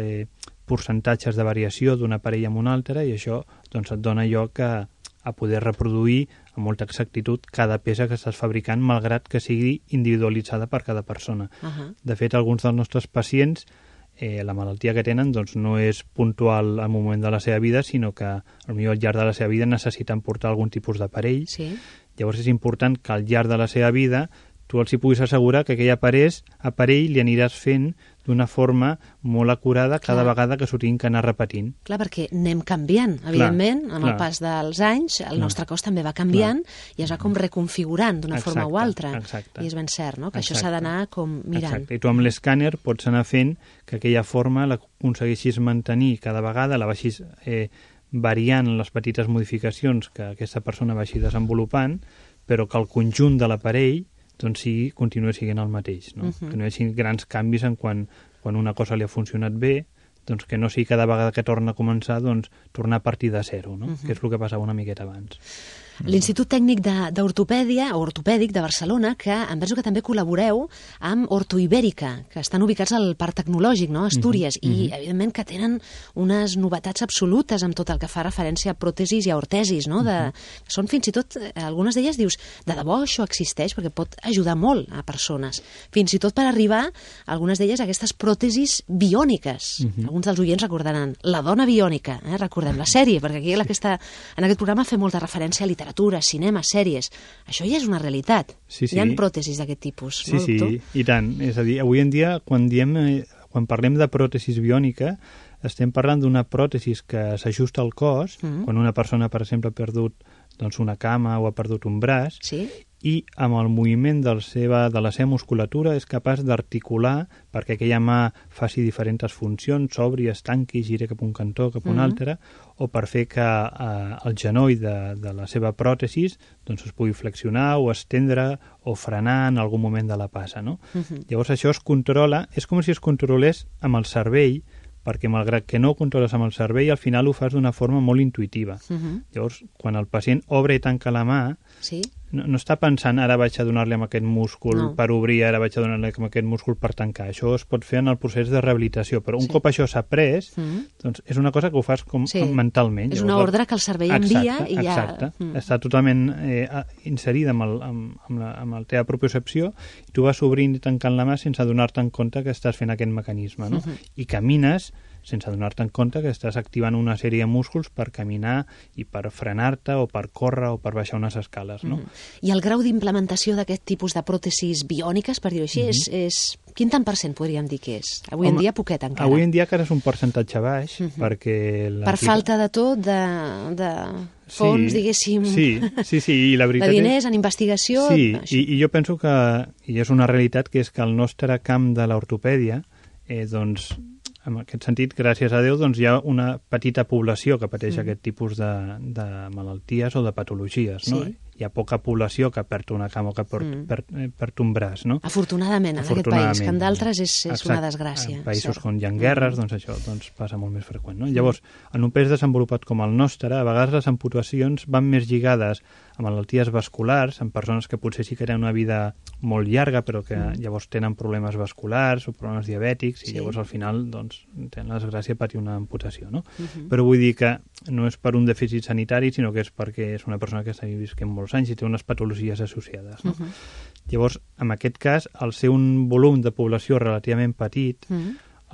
Speaker 7: percentatges de variació d'un aparell amb un altre, i això doncs, et dona lloc a poder reproduir amb molta exactitud cada peça que estàs fabricant, malgrat que sigui individualitzada per cada persona. De fet, alguns dels nostres pacients, la malaltia que tenen doncs, no és puntual al moment de la seva vida, sinó que potser al llarg de la seva vida necessiten portar algun tipus d'aparell.
Speaker 2: Sí.
Speaker 7: Llavors és important que al llarg de la seva vida tu els hi puguis assegurar que aquell aparell li aniràs fent d'una forma molt acurada cada vegada que s'ho tinguin que anar repetint.
Speaker 2: Clar, perquè anem canviant, evidentment, amb el pas dels anys, el nostre cos també va canviant i es va com reconfigurant d'una forma o altra.
Speaker 7: Exacte.
Speaker 2: I és ben cert, no?, que això s'ha d'anar com mirant.
Speaker 7: Exacte. I tu amb l'escàner pots anar fent que aquella forma l'aconsegueixis mantenir cada vegada, la vagis variant les petites modificacions que aquesta persona vagi desenvolupant, però que el conjunt de l'aparell doncs sí, continua sent el mateix, no? Que no hi hagi grans canvis en quan una cosa li ha funcionat bé, doncs que no sigui cada vegada que torna a començar, doncs tornar a partir de zero, no? Que és el que passava una miqueta abans.
Speaker 2: L'Institut Tècnic d'Ortopèdia, o Ortopèdic de Barcelona, que em penso que també col·laboreu amb Ortoibèrica, que estan ubicats al Parc Tecnològic, no?, a Astúries, i evidentment que tenen unes novetats absolutes amb tot el que fa referència a pròtesis i a ortesis, no?, són fins i tot, algunes d'elles dius, de debò això existeix, perquè pot ajudar molt a persones, fins i tot per arribar, algunes d'elles, a aquestes pròtesis biòniques. Alguns dels oients recordaran La dona biònica, recordem la sèrie, perquè aquí en aquest programa fem molta referència a literatura, cinema, sèries. Això ja és una realitat.
Speaker 7: Sí.
Speaker 2: Hi ha pròtesis d'aquest tipus, no, doctor?
Speaker 7: Sí, i tant. És a dir, avui en dia, quan parlem de pròtesis biònica, estem parlant d'una pròtesis que s'ajusta al cos, quan una persona, per exemple, ha perdut doncs, una cama o ha perdut un braç, i amb el moviment de la seva musculatura és capaç d'articular perquè aquella mà faci diferents funcions, s'obri, es tanqui, giri cap a un cantó, cap a un altre, o per fer que el genoll de la seva pròtesis doncs, es pugui flexionar o estendre o frenar en algun moment de la passa, no? Llavors això es controla, és com si es controlés amb el cervell, perquè malgrat que no ho controles amb el cervell, al final ho fas d'una forma molt intuïtiva. Llavors, quan el pacient obre i tanca la mà, no està pensant ara vaig a donar-li amb aquest múscul per obrir, ara vaig a donar-li amb aquest múscul per tancar. Això es pot fer en el procés de rehabilitació, però un cop això s'ha après, doncs és una cosa que ho fas com mentalment.
Speaker 2: És una ordre que el cervell envia i ja...
Speaker 7: Exacte, està totalment inserida amb la teva propiocepció i tu vas obrint i tancant la mà sense donar-te en compte que estàs fent aquest mecanisme, no? I camines sense donar-te en compte que estàs activant una sèrie de músculs per caminar i per frenar-te o per córrer o per baixar unes escales, no?
Speaker 2: I el grau d'implementació d'aquest tipus de pròtesis biòniques, per dir-ho així, és... Quin tant per cent podríem dir que és? Avui en dia poquet encara.
Speaker 7: Avui en dia encara és un percentatge baix, perquè...
Speaker 2: Per falta de tot, de fons, diguéssim...
Speaker 7: Sí, i la veritat
Speaker 2: de diners, en investigació...
Speaker 7: Sí, i jo penso que, i és una realitat, que és que el nostre camp de l'ortopèdia, doncs, en aquest sentit, gràcies a Déu, doncs hi ha una petita població que pateix aquest tipus de malalties o de patologies, no? Hi ha poca població que perd una cama o que perd un braç, no?
Speaker 2: Afortunadament, en aquest país, que en d'altres és una desgràcia.
Speaker 7: En països on hi ha guerres, doncs això passa molt més freqüent, no? Llavors, en un país desenvolupat com el nostre, a vegades les amputacions van més lligades a malalties vasculars, en persones que potser sí que tenen una vida molt llarga, però que llavors tenen problemes vasculars o problemes diabètics, i llavors al final doncs, tenen la desgràcia de patir una amputació, no? Però vull dir que no és per un dèficit sanitari, sinó que és perquè és una persona que està visquent molts anys i té unes patologies associades, no? Llavors, en aquest cas, al ser un volum de població relativament petit,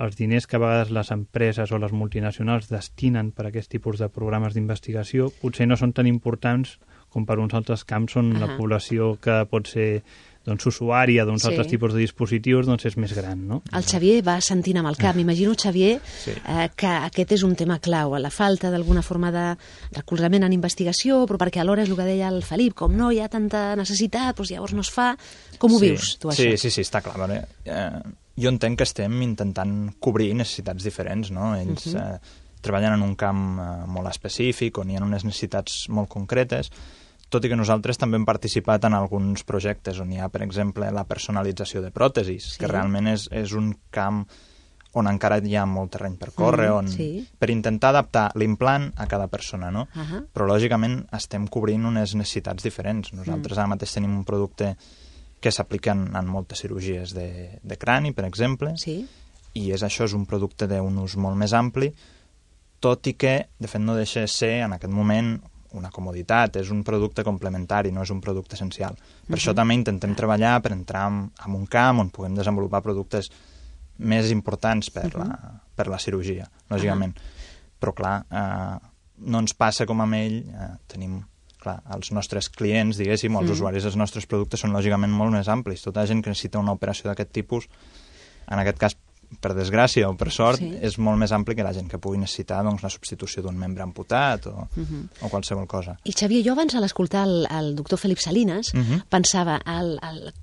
Speaker 7: els diners que a vegades les empreses o les multinacionals destinen per a aquest tipus de programes d'investigació potser no són tan importants com per uns altres camps on la població que pot ser doncs, usuària d'uns altres tipus de dispositius doncs és més gran, no?
Speaker 2: El Xavier va sentint amb el cap. M'imagino, Xavier, que aquest és un tema clau, la falta d'alguna forma de recolzament en investigació, però perquè alhora és el que deia el Felip, com no hi ha tanta necessitat, doncs llavors no es fa. Com ho vius, tu, això?
Speaker 6: Sí, està clar. Vale? Jo entenc que estem intentant cobrir necessitats diferents, no? Ells treballen en un camp molt específic, on hi ha unes necessitats molt concretes, tot i que nosaltres també hem participat en alguns projectes on hi ha, per exemple, la personalització de pròtesis, que realment és un camp on encara hi ha molt terreny per córrer, per intentar adaptar l'implant a cada persona, no? Però, lògicament, estem cobrint unes necessitats diferents. Nosaltres ara mateix tenim un producte que s'aplica en moltes cirurgies de crani, per exemple, i això és un producte d'un ús molt més ampli, tot i que, de fet, no deixa de ser, en aquest moment, una comoditat, és un producte complementari, no és un producte essencial. Per això també intentem treballar per entrar en un camp on puguem desenvolupar productes més importants per la cirurgia, lògicament. Però, clar, no ens passa com amb ell, tenim, clar, els nostres clients, diguéssim, els usuaris dels nostres productes són lògicament molt més amplis. Tota gent que necessita una operació d'aquest tipus, en aquest cas, per desgràcia o per sort, és molt més ampli que la gent que pugui necessitar la substitució d'un membre amputat o qualsevol cosa.
Speaker 2: I Xavier, jo abans a l'escoltar el doctor Felip Salinas pensava,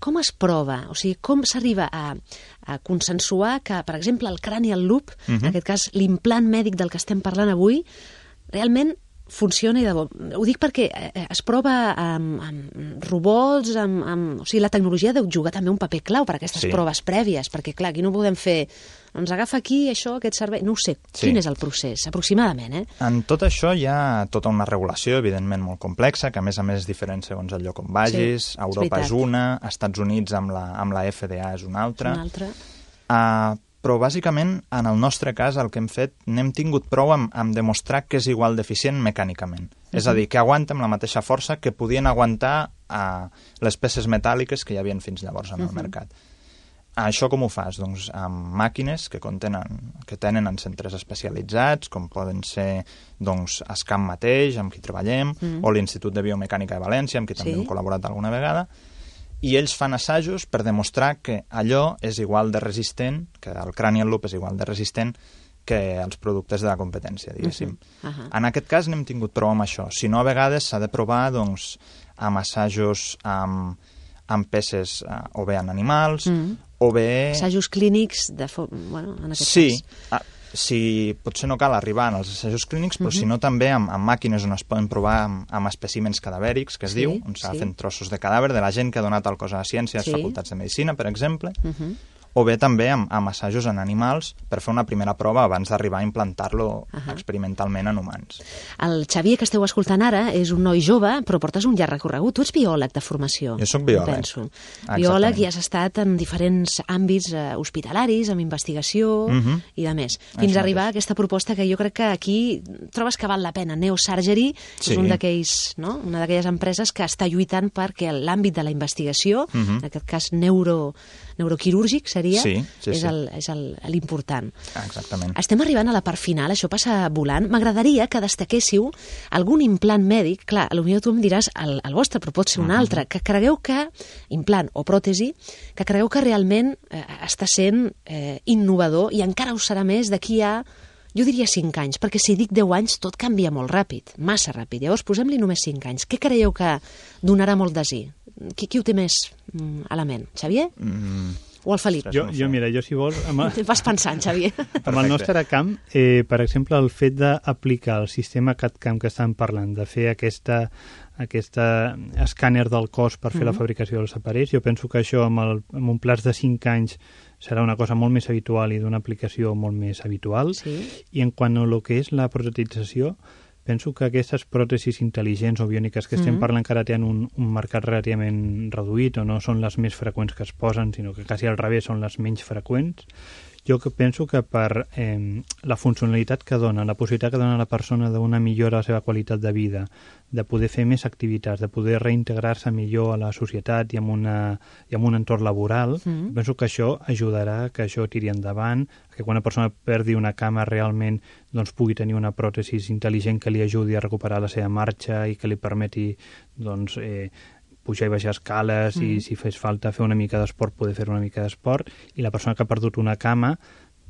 Speaker 2: com es prova, o sigui, com s'arriba a consensuar que, per exemple, el cranial loop, en aquest cas l'implant mèdic del que estem parlant avui, realment funciona i de bo. Ho dic perquè es prova amb robots, o sigui, la tecnologia deu jugar també un paper clau per a aquestes proves prèvies, perquè, clar, aquí no podem fer, doncs agafa aquí això, aquest servei, no ho sé, quin és el procés, aproximadament,
Speaker 6: En tot això hi ha tota una regulació, evidentment, molt complexa, que a més és diferent segons el lloc on vagis, a Europa és una, als Estats Units amb la FDA és una altra. Però, bàsicament, en el nostre cas, el que hem fet, n'hem tingut prou amb demostrar que és igual d'eficient mecànicament. És a dir, que aguanta amb la mateixa força que podien aguantar les peces metàl·liques que hi havia fins llavors en el mercat. Això com ho fas? Doncs amb màquines que tenen en centres especialitzats, com poden ser ESCAM mateix, amb qui treballem, o l'Institut de Biomecànica de València, amb qui també hem col·laborat alguna vegada, i ells fan assajos per demostrar que allò és igual de resistent, que el cranial loop és igual de resistent que els productes de la competència, diguéssim. En aquest cas n'hem tingut prou amb això. Si no, a vegades s'ha de provar amb assajos amb peces o bé en animals, o bé...
Speaker 2: Assajos clínics, en aquest cas.
Speaker 6: Sí, potser no cal arribar als assajos clínics, però si no també amb màquines on es poden provar amb espècimens cadavèrics, que es diu, on s'ha fet trossos de cadàver de la gent que ha donat el cos a la ciència, a les facultats de medicina, per exemple, o bé també amb assajos en animals per fer una primera prova abans d'arribar a implantar-lo experimentalment en humans.
Speaker 2: El Xavier, que esteu escoltant ara, és un noi jove, però portes un llarg recorregut. Tu ets biòleg de formació.
Speaker 6: Jo soc biòleg.
Speaker 2: Penso. Biòleg i has estat en diferents àmbits hospitalaris, amb investigació i de més. Fins a arribar a aquesta proposta que jo crec que aquí trobes que val la pena. Neosurgery és una d'aquelles empreses que està lluitant perquè l'àmbit de la investigació, en aquest cas neuroquirúrgic, seria és l'important.
Speaker 6: Exactament.
Speaker 2: Estem arribant a la part final, això passa volant. M'agradaria que destaquéssiu algun implant mèdic, clar, potser tu em diràs el vostre, però pot ser un altre, que cregueu que, implant o pròtesi, que cregueu que realment està sent innovador i encara ho serà més d'aquí a, jo diria 5 anys, perquè si dic 10 anys tot canvia molt ràpid, massa ràpid. Llavors posem-li només 5 anys. Què creieu que donarà molt desir? Qui ho té més a la ment? Xavier? O el Felip?
Speaker 7: Jo, si vols...
Speaker 2: Vas pensant, Xavier.
Speaker 7: Amb el nostre camp, per exemple, el fet d'aplicar el sistema CAD-CAM que estan parlant, de fer aquest escàner del cos per fer la fabricació dels aparells, jo penso que això amb un plaç de 5 anys serà una cosa molt més habitual i d'una aplicació molt més habitual.
Speaker 2: Sí.
Speaker 7: I en quant a el que és la protetització, penso que aquestes pròtesis intel·ligents o biòniques que estem parlant que ara tenen un mercat relativament reduït o no són les més freqüents que es posen, sinó que quasi al revés són les menys freqüents, jo penso que per la funcionalitat que dona, la possibilitat que dona a la persona d'una millora a la seva qualitat de vida, de poder fer més activitats, de poder reintegrar-se millor a la societat i en un entorn laboral, penso que això ajudarà que això tiri endavant, que quan una persona perdi una cama realment doncs, pugui tenir una pròtesi intel·ligent que li ajudi a recuperar la seva marxa i que li permeti doncs, pujar i baixar escales i si fes falta fer una mica d'esport poder fer una mica d'esport, i la persona que ha perdut una cama,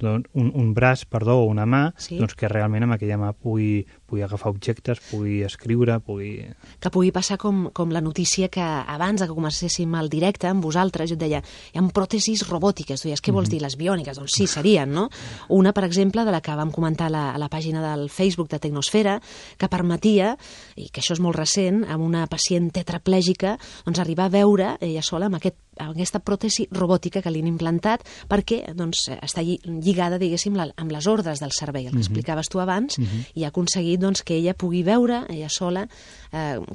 Speaker 7: doncs, un braç, o una mà, doncs que realment amb aquella mà pugui agafar objectes, pugui escriure,
Speaker 2: Que pugui passar com la notícia que abans que comencéssim el directe amb vosaltres, jo et deia, hi ha pròtesis robòtiques, tu deies, què vols dir, les biòniques? Doncs sí, serien, no? Una, per exemple, de la que vam comentar a la pàgina del Facebook de Tecnosfera, que permetia, i que això és molt recent, amb una pacient tetraplègica, doncs arribar a veure ella sola amb aquesta pròtesi robòtica que li han implantat perquè doncs, està lligada, diguéssim, amb les ordres del cervell, el que explicaves tu abans, i ha aconseguit doncs, que ella pugui veure, ella sola,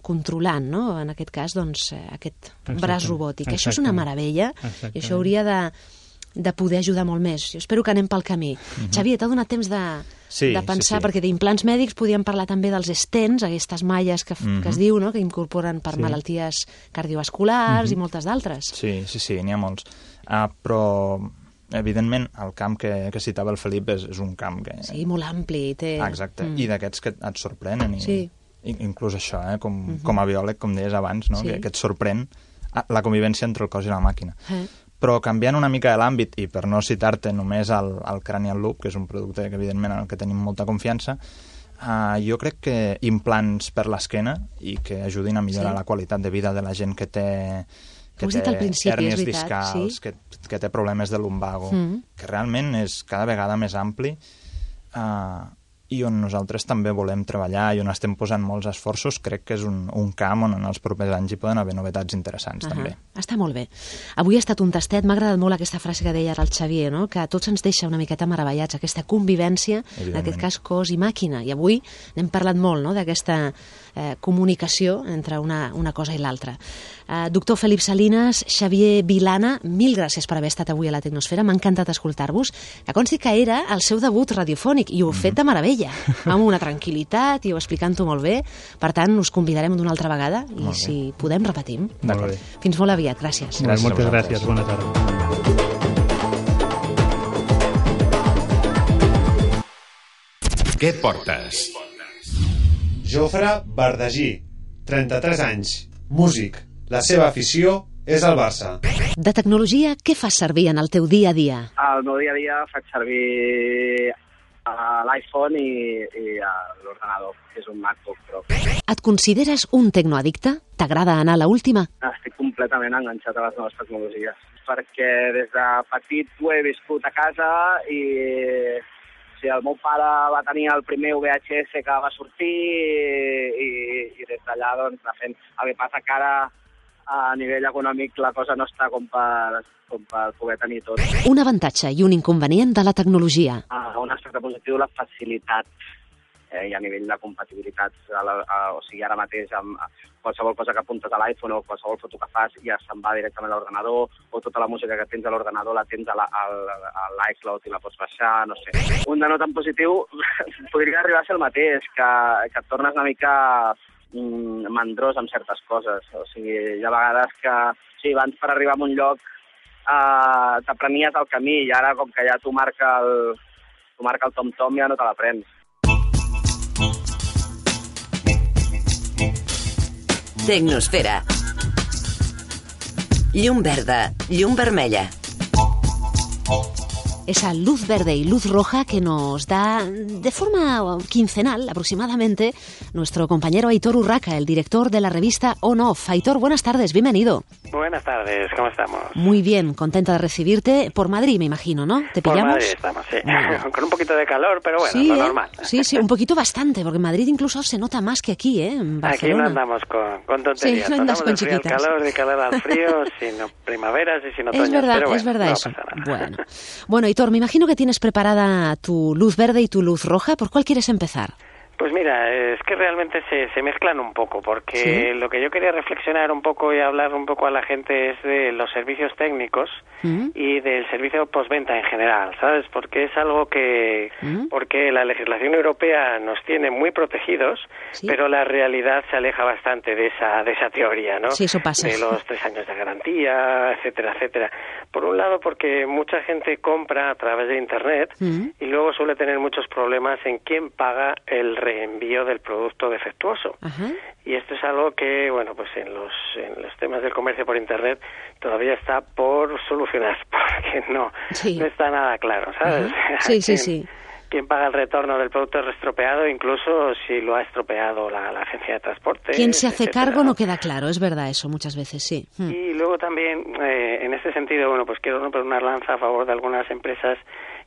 Speaker 2: controlant, no? En aquest cas, doncs, aquest braç robòtic. Això és una meravella i això hauria de poder ajudar molt més. Jo espero que anem pel camí. Xavier, t'ha donat temps de pensar, perquè d'implants mèdics podíem parlar també dels stents, aquestes malles que es diu, no? Que incorporen per malalties cardiovasculars i moltes d'altres.
Speaker 6: Sí, n'hi ha molts. Però evidentment el camp que citava el Felip és un camp que...
Speaker 2: Sí, molt ampli.
Speaker 6: Exacte, i d'aquests que et sorprenen. Inclús això, com a biòleg, com deies abans, no? Que et sorprèn la convivència entre el cos i la màquina. Però canviant una mica de l'àmbit, i per no citar-te només el Cranial Loop, que és un producte que evidentment en el que tenim molta confiança, jo crec que implants per l'esquena i que ajudin a millorar la qualitat de vida de la gent que té hèrnies discals, que té problemes de lumbago, que realment és cada vegada més ampli i on nosaltres també volem treballar i on estem posant molts esforços. Crec que és un camp on en els propers anys hi poden haver novetats interessants també.
Speaker 2: Està molt bé. Avui ha estat un tastet, m'ha agradat molt aquesta frase que deia ara el Xavier, no? Que tots ens deixa una miqueta meravellats, aquesta convivència, en aquest cas cos i màquina, i avui n'hem parlat molt, no? D'aquesta comunicació entre una cosa i l'altra. Doctor Felip Salinas, Xavier Vilana, mil gràcies per haver estat avui a la Tecnosfera, m'ha encantat escoltar-vos, que consti que era el seu debut radiofònic i ho heu fet de meravella, amb una tranquil·litat i ho explicant-ho molt bé, per tant us convidarem d'una altra vegada i si podem repetim. Fins molt aviat, gràcies.
Speaker 7: Moltes gràcies, bona tarda.
Speaker 1: Què portes?
Speaker 8: Jofre Bardagí, 33 anys, músic. La seva afició és el Barça.
Speaker 2: De tecnologia, què fas servir en el teu dia a dia?
Speaker 9: Al meu dia a dia faig servir l'iPhone i l'ordenador, que és un MacBook Pro.
Speaker 2: Et consideres un tecnoaddicte? T'agrada anar a l'última?
Speaker 9: Estic completament enganxat a les noves tecnologies, perquè des de petit ho he viscut a casa i... Sí, el meu pare va tenir el primer VHS que va sortir i des d'allà doncs, anar fent. El que passa que ara a nivell econòmic la cosa no està com per poder tenir tot.
Speaker 2: Un avantatge i un inconvenient de la tecnologia.
Speaker 9: Un aspecte positiu, la facilitat i a nivell de compatibilitat. O sigui, ara mateix amb qualsevol cosa que apuntes a l'iPhone o qualsevol foto que fas ja se'n va directament a l'ordenador, o tota la música que tens a l'ordenador la tens a l'iCloud i la pots baixar, no sé. Un de no tan positiu podria arribar a ser el mateix, que et tornes una mica mandrós amb certes coses. O sigui, hi ha vegades que, sí, abans per arribar a un lloc t'aprenies el camí i ara com que ja t'ho marca el tom-tom ja no te l'aprens.
Speaker 3: Tecnosfera. Llum verda, llum vermella.
Speaker 2: Esa luz verde y luz roja que nos da de forma quincenal aproximadamente nuestro compañero Aitor Urraca, el director de la revista On Off. Aitor, buenas tardes, bienvenido.
Speaker 10: Buenas tardes, ¿cómo estamos?
Speaker 2: Muy bien, contenta de recibirte. Por Madrid, me imagino, ¿no? ¿Te pillamos?
Speaker 10: Por Madrid estamos, sí. Con un poquito de calor, pero bueno,
Speaker 2: sí,
Speaker 10: lo normal.
Speaker 2: Sí, un poquito bastante, porque en Madrid incluso se nota más que aquí, en Barcelona.
Speaker 10: Aquí no andamos con tonterías.
Speaker 2: Sí, no andas con chiquitas.
Speaker 10: Al calor, de calor al frío, sino primaveras y sin otoños.
Speaker 2: Es verdad,
Speaker 10: pero bueno,
Speaker 2: es verdad
Speaker 10: no
Speaker 2: eso.
Speaker 10: pasa nada.
Speaker 2: Bueno, Aitor, me imagino que tienes preparada tu luz verde y tu luz roja. ¿Por cuál quieres empezar?
Speaker 10: Pues mira, es que realmente se mezclan un poco, porque lo que yo quería reflexionar un poco y hablar un poco a la gente es de los servicios técnicos y del servicio postventa en general, ¿sabes? Porque es algo que... Porque la legislación europea nos tiene muy protegidos, pero la realidad se aleja bastante de esa teoría, ¿no?
Speaker 2: Sí, eso pasa.
Speaker 10: De los 3 años de garantía, etcétera, etcétera. Por un lado, porque mucha gente compra a través de Internet y luego suele tener muchos problemas en quién paga el reenvío del producto defectuoso. Y esto es algo que, bueno, pues en los temas del comercio por Internet todavía está por solucionar, porque no está nada claro, ¿sabes?
Speaker 2: Sí.
Speaker 10: ¿Quién paga el retorno del producto estropeado, incluso si lo ha estropeado la agencia de transporte?
Speaker 2: ¿Quién se hace cargo? No queda claro, es verdad eso, muchas veces, sí.
Speaker 10: Y luego también, en este sentido, bueno, pues quiero romper una lanza a favor de algunas empresas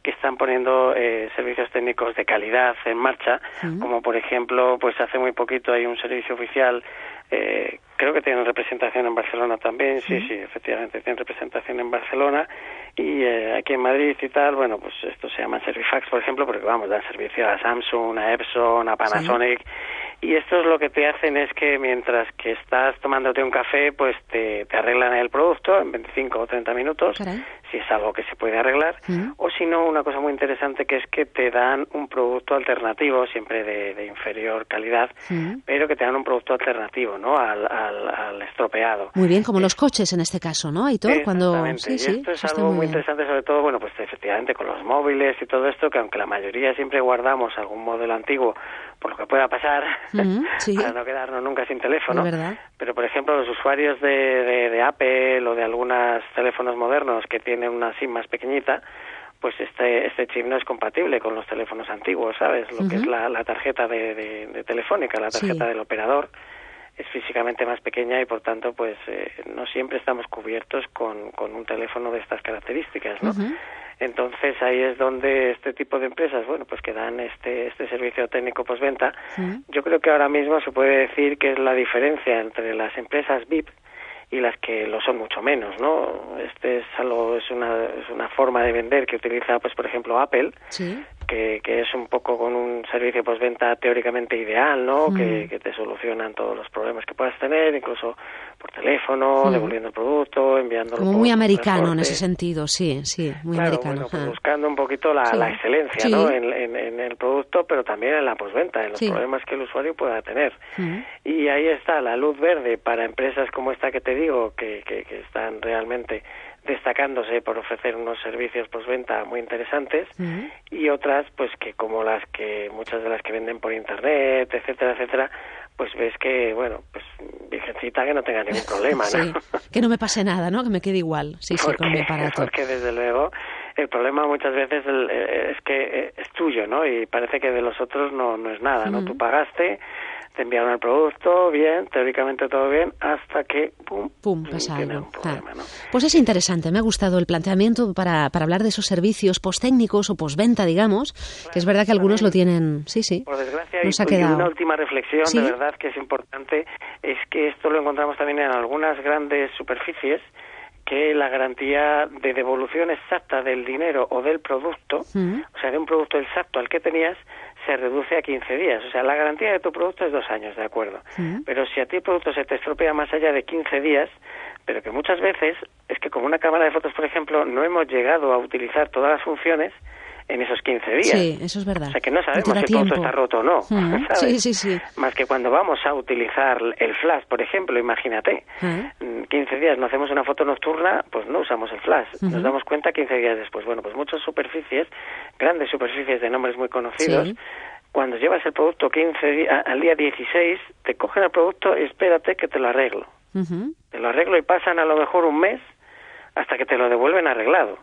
Speaker 10: que están poniendo servicios técnicos de calidad en marcha, como por ejemplo, pues hace muy poquito hay un servicio oficial, creo que tienen representación en Barcelona también, sí, efectivamente tienen representación en Barcelona, y aquí en Madrid y tal, bueno, pues esto se llama Servifax, por ejemplo, porque vamos, dan servicio a Samsung, a Epson, a Panasonic, y esto es lo que te hacen es que mientras que estás tomándote un café, pues te arreglan el producto en 25 o 30 minutos, si es algo que se puede arreglar, o si no, una cosa muy interesante que es que te dan un producto alternativo, siempre de inferior calidad, pero que te dan un producto alternativo, ¿no?, al estropeado.
Speaker 2: Muy bien, como los coches en este caso, ¿no, Aitor?
Speaker 10: Exactamente, y esto es algo muy interesante, sobre todo, bueno, pues efectivamente con los móviles y todo esto, que aunque la mayoría siempre guardamos algún modelo antiguo por lo que pueda pasar, para no quedarnos nunca sin teléfono, pero por ejemplo los usuarios de Apple o de algunos teléfonos modernos que tienen una SIM más pequeñita, pues este chip no es compatible con los teléfonos antiguos, ¿sabes? Lo que es la tarjeta de Telefónica, la tarjeta del operador, es físicamente más pequeña y por tanto pues no siempre estamos cubiertos con un teléfono de estas características, ¿no? Entonces ahí es donde este tipo de empresas, bueno, pues que dan este servicio técnico postventa, yo creo que ahora mismo se puede decir que es la diferencia entre las empresas VIP y las que lo son mucho menos, ¿no? Es una forma de vender que utiliza, pues por ejemplo, Apple, que es un poco con un servicio postventa teóricamente ideal, ¿no? Que te solucionan todos los problemas que puedas tener, incluso por teléfono, devolviendo el producto, enviándolo.
Speaker 2: Como muy americano en ese sentido, sí, muy americano.
Speaker 10: Bueno, pues buscando un poquito la excelencia, ¿no? En el producto, pero también en la postventa, en los problemas que el usuario pueda tener. Y ahí está la luz verde para empresas como esta que te digo, que están realmente destacándose por ofrecer unos servicios postventa muy interesantes, y otras pues que como muchas de las que venden por internet, etcétera, pues ves que, bueno, pues virgencita, que no tenga ningún problema, ¿no?
Speaker 2: Que no me pase nada, ¿no? Que me quede igual, con mi aparato.
Speaker 10: Porque desde luego el problema muchas veces es que es tuyo, ¿no? Y parece que de los otros no es nada, ¿no? Tú pagaste, te enviaron el producto, bien, teóricamente todo bien, hasta que, pum,
Speaker 2: pasa algo.
Speaker 10: Un problema, ¿no?
Speaker 2: Pues es interesante, me ha gustado el planteamiento para hablar de esos servicios posttécnicos o postventa, digamos, que es verdad que algunos lo tienen,
Speaker 10: Por desgracia,
Speaker 2: nos ha
Speaker 10: y
Speaker 2: quedado.
Speaker 10: Una última reflexión, de verdad, que es importante, es que esto lo encontramos también en algunas grandes superficies, que la garantía de devolución exacta del dinero o del producto, o sea, de un producto exacto al que tenías, se reduce a 15 días. O sea, la garantía de tu producto es 2 años, ¿de acuerdo? Pero si a ti el producto se te estropea más allá de 15 días, pero que muchas veces es que como una cámara de fotos, por ejemplo, no hemos llegado a utilizar todas las funciones, en esos 15 días.
Speaker 2: Sí, eso es verdad.
Speaker 10: O sea que no sabemos si el producto está roto o no, ¿sabes?
Speaker 2: Sí.
Speaker 10: Más que cuando vamos a utilizar el flash, por ejemplo, imagínate, 15 días no hacemos una foto nocturna, pues no usamos el flash. Nos damos cuenta 15 días después. Bueno, pues muchas superficies, grandes superficies de nombres muy conocidos, cuando llevas el producto 15 días, al día 16, te cogen el producto y espérate que te lo arreglo. Te lo arreglo y pasan a lo mejor un mes hasta que te lo devuelven arreglado.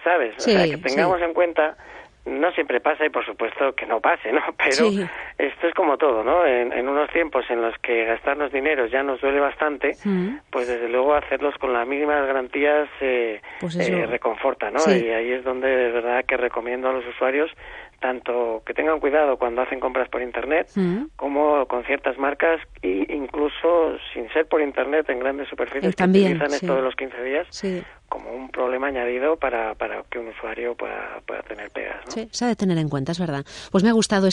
Speaker 10: ¿Sabes? O sea, que tengamos en cuenta, no siempre pasa y por supuesto que no pase, ¿no? Pero esto es como todo, ¿no? En unos tiempos en los que gastarnos dinero ya nos duele bastante, pues desde luego hacerlos con las mínimas garantías reconforta, ¿no? Y ahí es donde de verdad que recomiendo a los usuarios tanto que tengan cuidado cuando hacen compras por Internet, como con ciertas marcas, e incluso sin ser por Internet en grandes superficies que utilizan esto de los 15 días como un problema añadido para que un usuario pueda tener pegas, ¿no?
Speaker 2: Sí, se ha de tener en cuenta, es verdad. Pues me ha gustado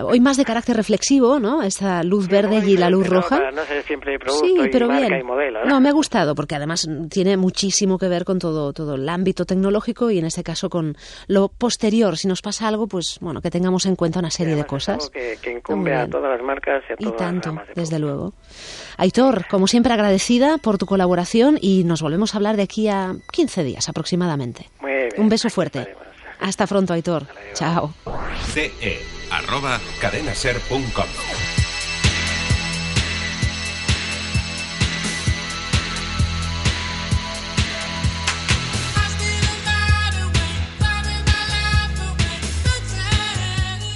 Speaker 2: hoy más de carácter reflexivo, ¿no? Esta luz verde y la luz roja.
Speaker 10: Para no ser siempre producto y marca y modelo, ¿no?
Speaker 2: No, me ha gustado, porque además tiene muchísimo que ver con todo el ámbito tecnológico y en este caso con lo posterior. Si nos pasa algo, pues bueno, que tengamos en cuenta una serie de cosas.
Speaker 10: Es algo que incumbe a todas las marcas y a todas las ramas de
Speaker 2: desde luego. Aitor, como siempre agradecida por tu colaboración y nos volvemos a hablar de aquí a 15 días aproximadamente.
Speaker 10: Muy bien.
Speaker 2: Un beso fuerte. Hasta pronto, Aitor. Chao.
Speaker 1: ce@cadenaser.com.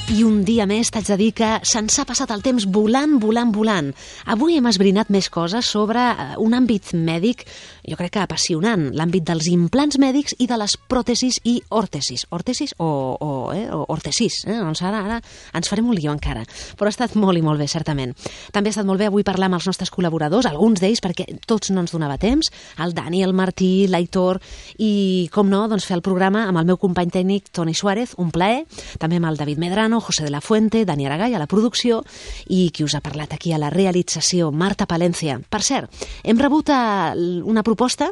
Speaker 2: I un dia més t'haig de dir que se'ns ha passat el temps volant. Avui hem esbrinat més coses sobre un àmbit mèdic, jo crec que apassionant, l'àmbit dels implants mèdics i de les pròtesis i òrtesis. Òrtesis o òrtesis, doncs ara ens farem un lío encara. Però ha estat molt i molt bé, certament. També ha estat molt bé avui parlar amb els nostres col·laboradors, alguns d'ells perquè tots no ens donava temps, el Dani, el Martí, l'Aitor i, com no, doncs fer el programa amb el meu company tècnic Toni Suárez, un plaer, també amb el David Medrano, José de la Fuente, Dani Aragall a la producció i qui us ha parlat aquí a la realització, Marta Palencia. Per cert, hem rebut una proposta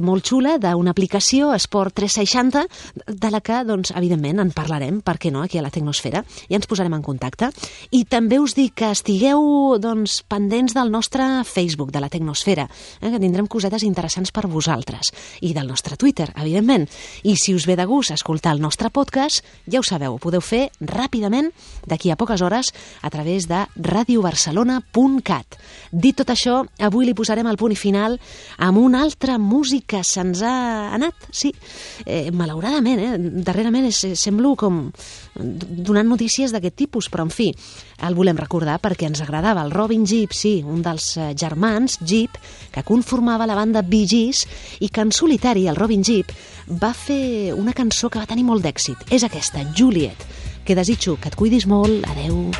Speaker 2: molt xula d'una aplicació Esport 360 de la que, doncs, evidentment, en parlarem, per què no, aquí a la Tecnosfera, i ens posarem en contacte. I també us dic que estigueu, doncs, pendents del nostre Facebook, de la Tecnosfera, que tindrem cosetes interessants per vosaltres, i del nostre Twitter, evidentment. I si us ve de gust escoltar el nostre podcast, ja ho sabeu, ho podeu fer ràpidament d'aquí a poques hores a través de radiobarcelona.cat. Dit tot això, avui li posarem el punt final amb una altra música. Se'ns ha anat, sí, malauradament, darrerament semblo com donant notícies d'aquest tipus, però en fi, el volem recordar perquè ens agradava el Robin Gibb, sí, un dels germans Gibb, que conformava la banda Bee Gees i que en solitari el Robin Gibb va fer una cançó que va tenir molt d'èxit. És aquesta, Juliet, que desitjo que et cuidis molt. Adeu.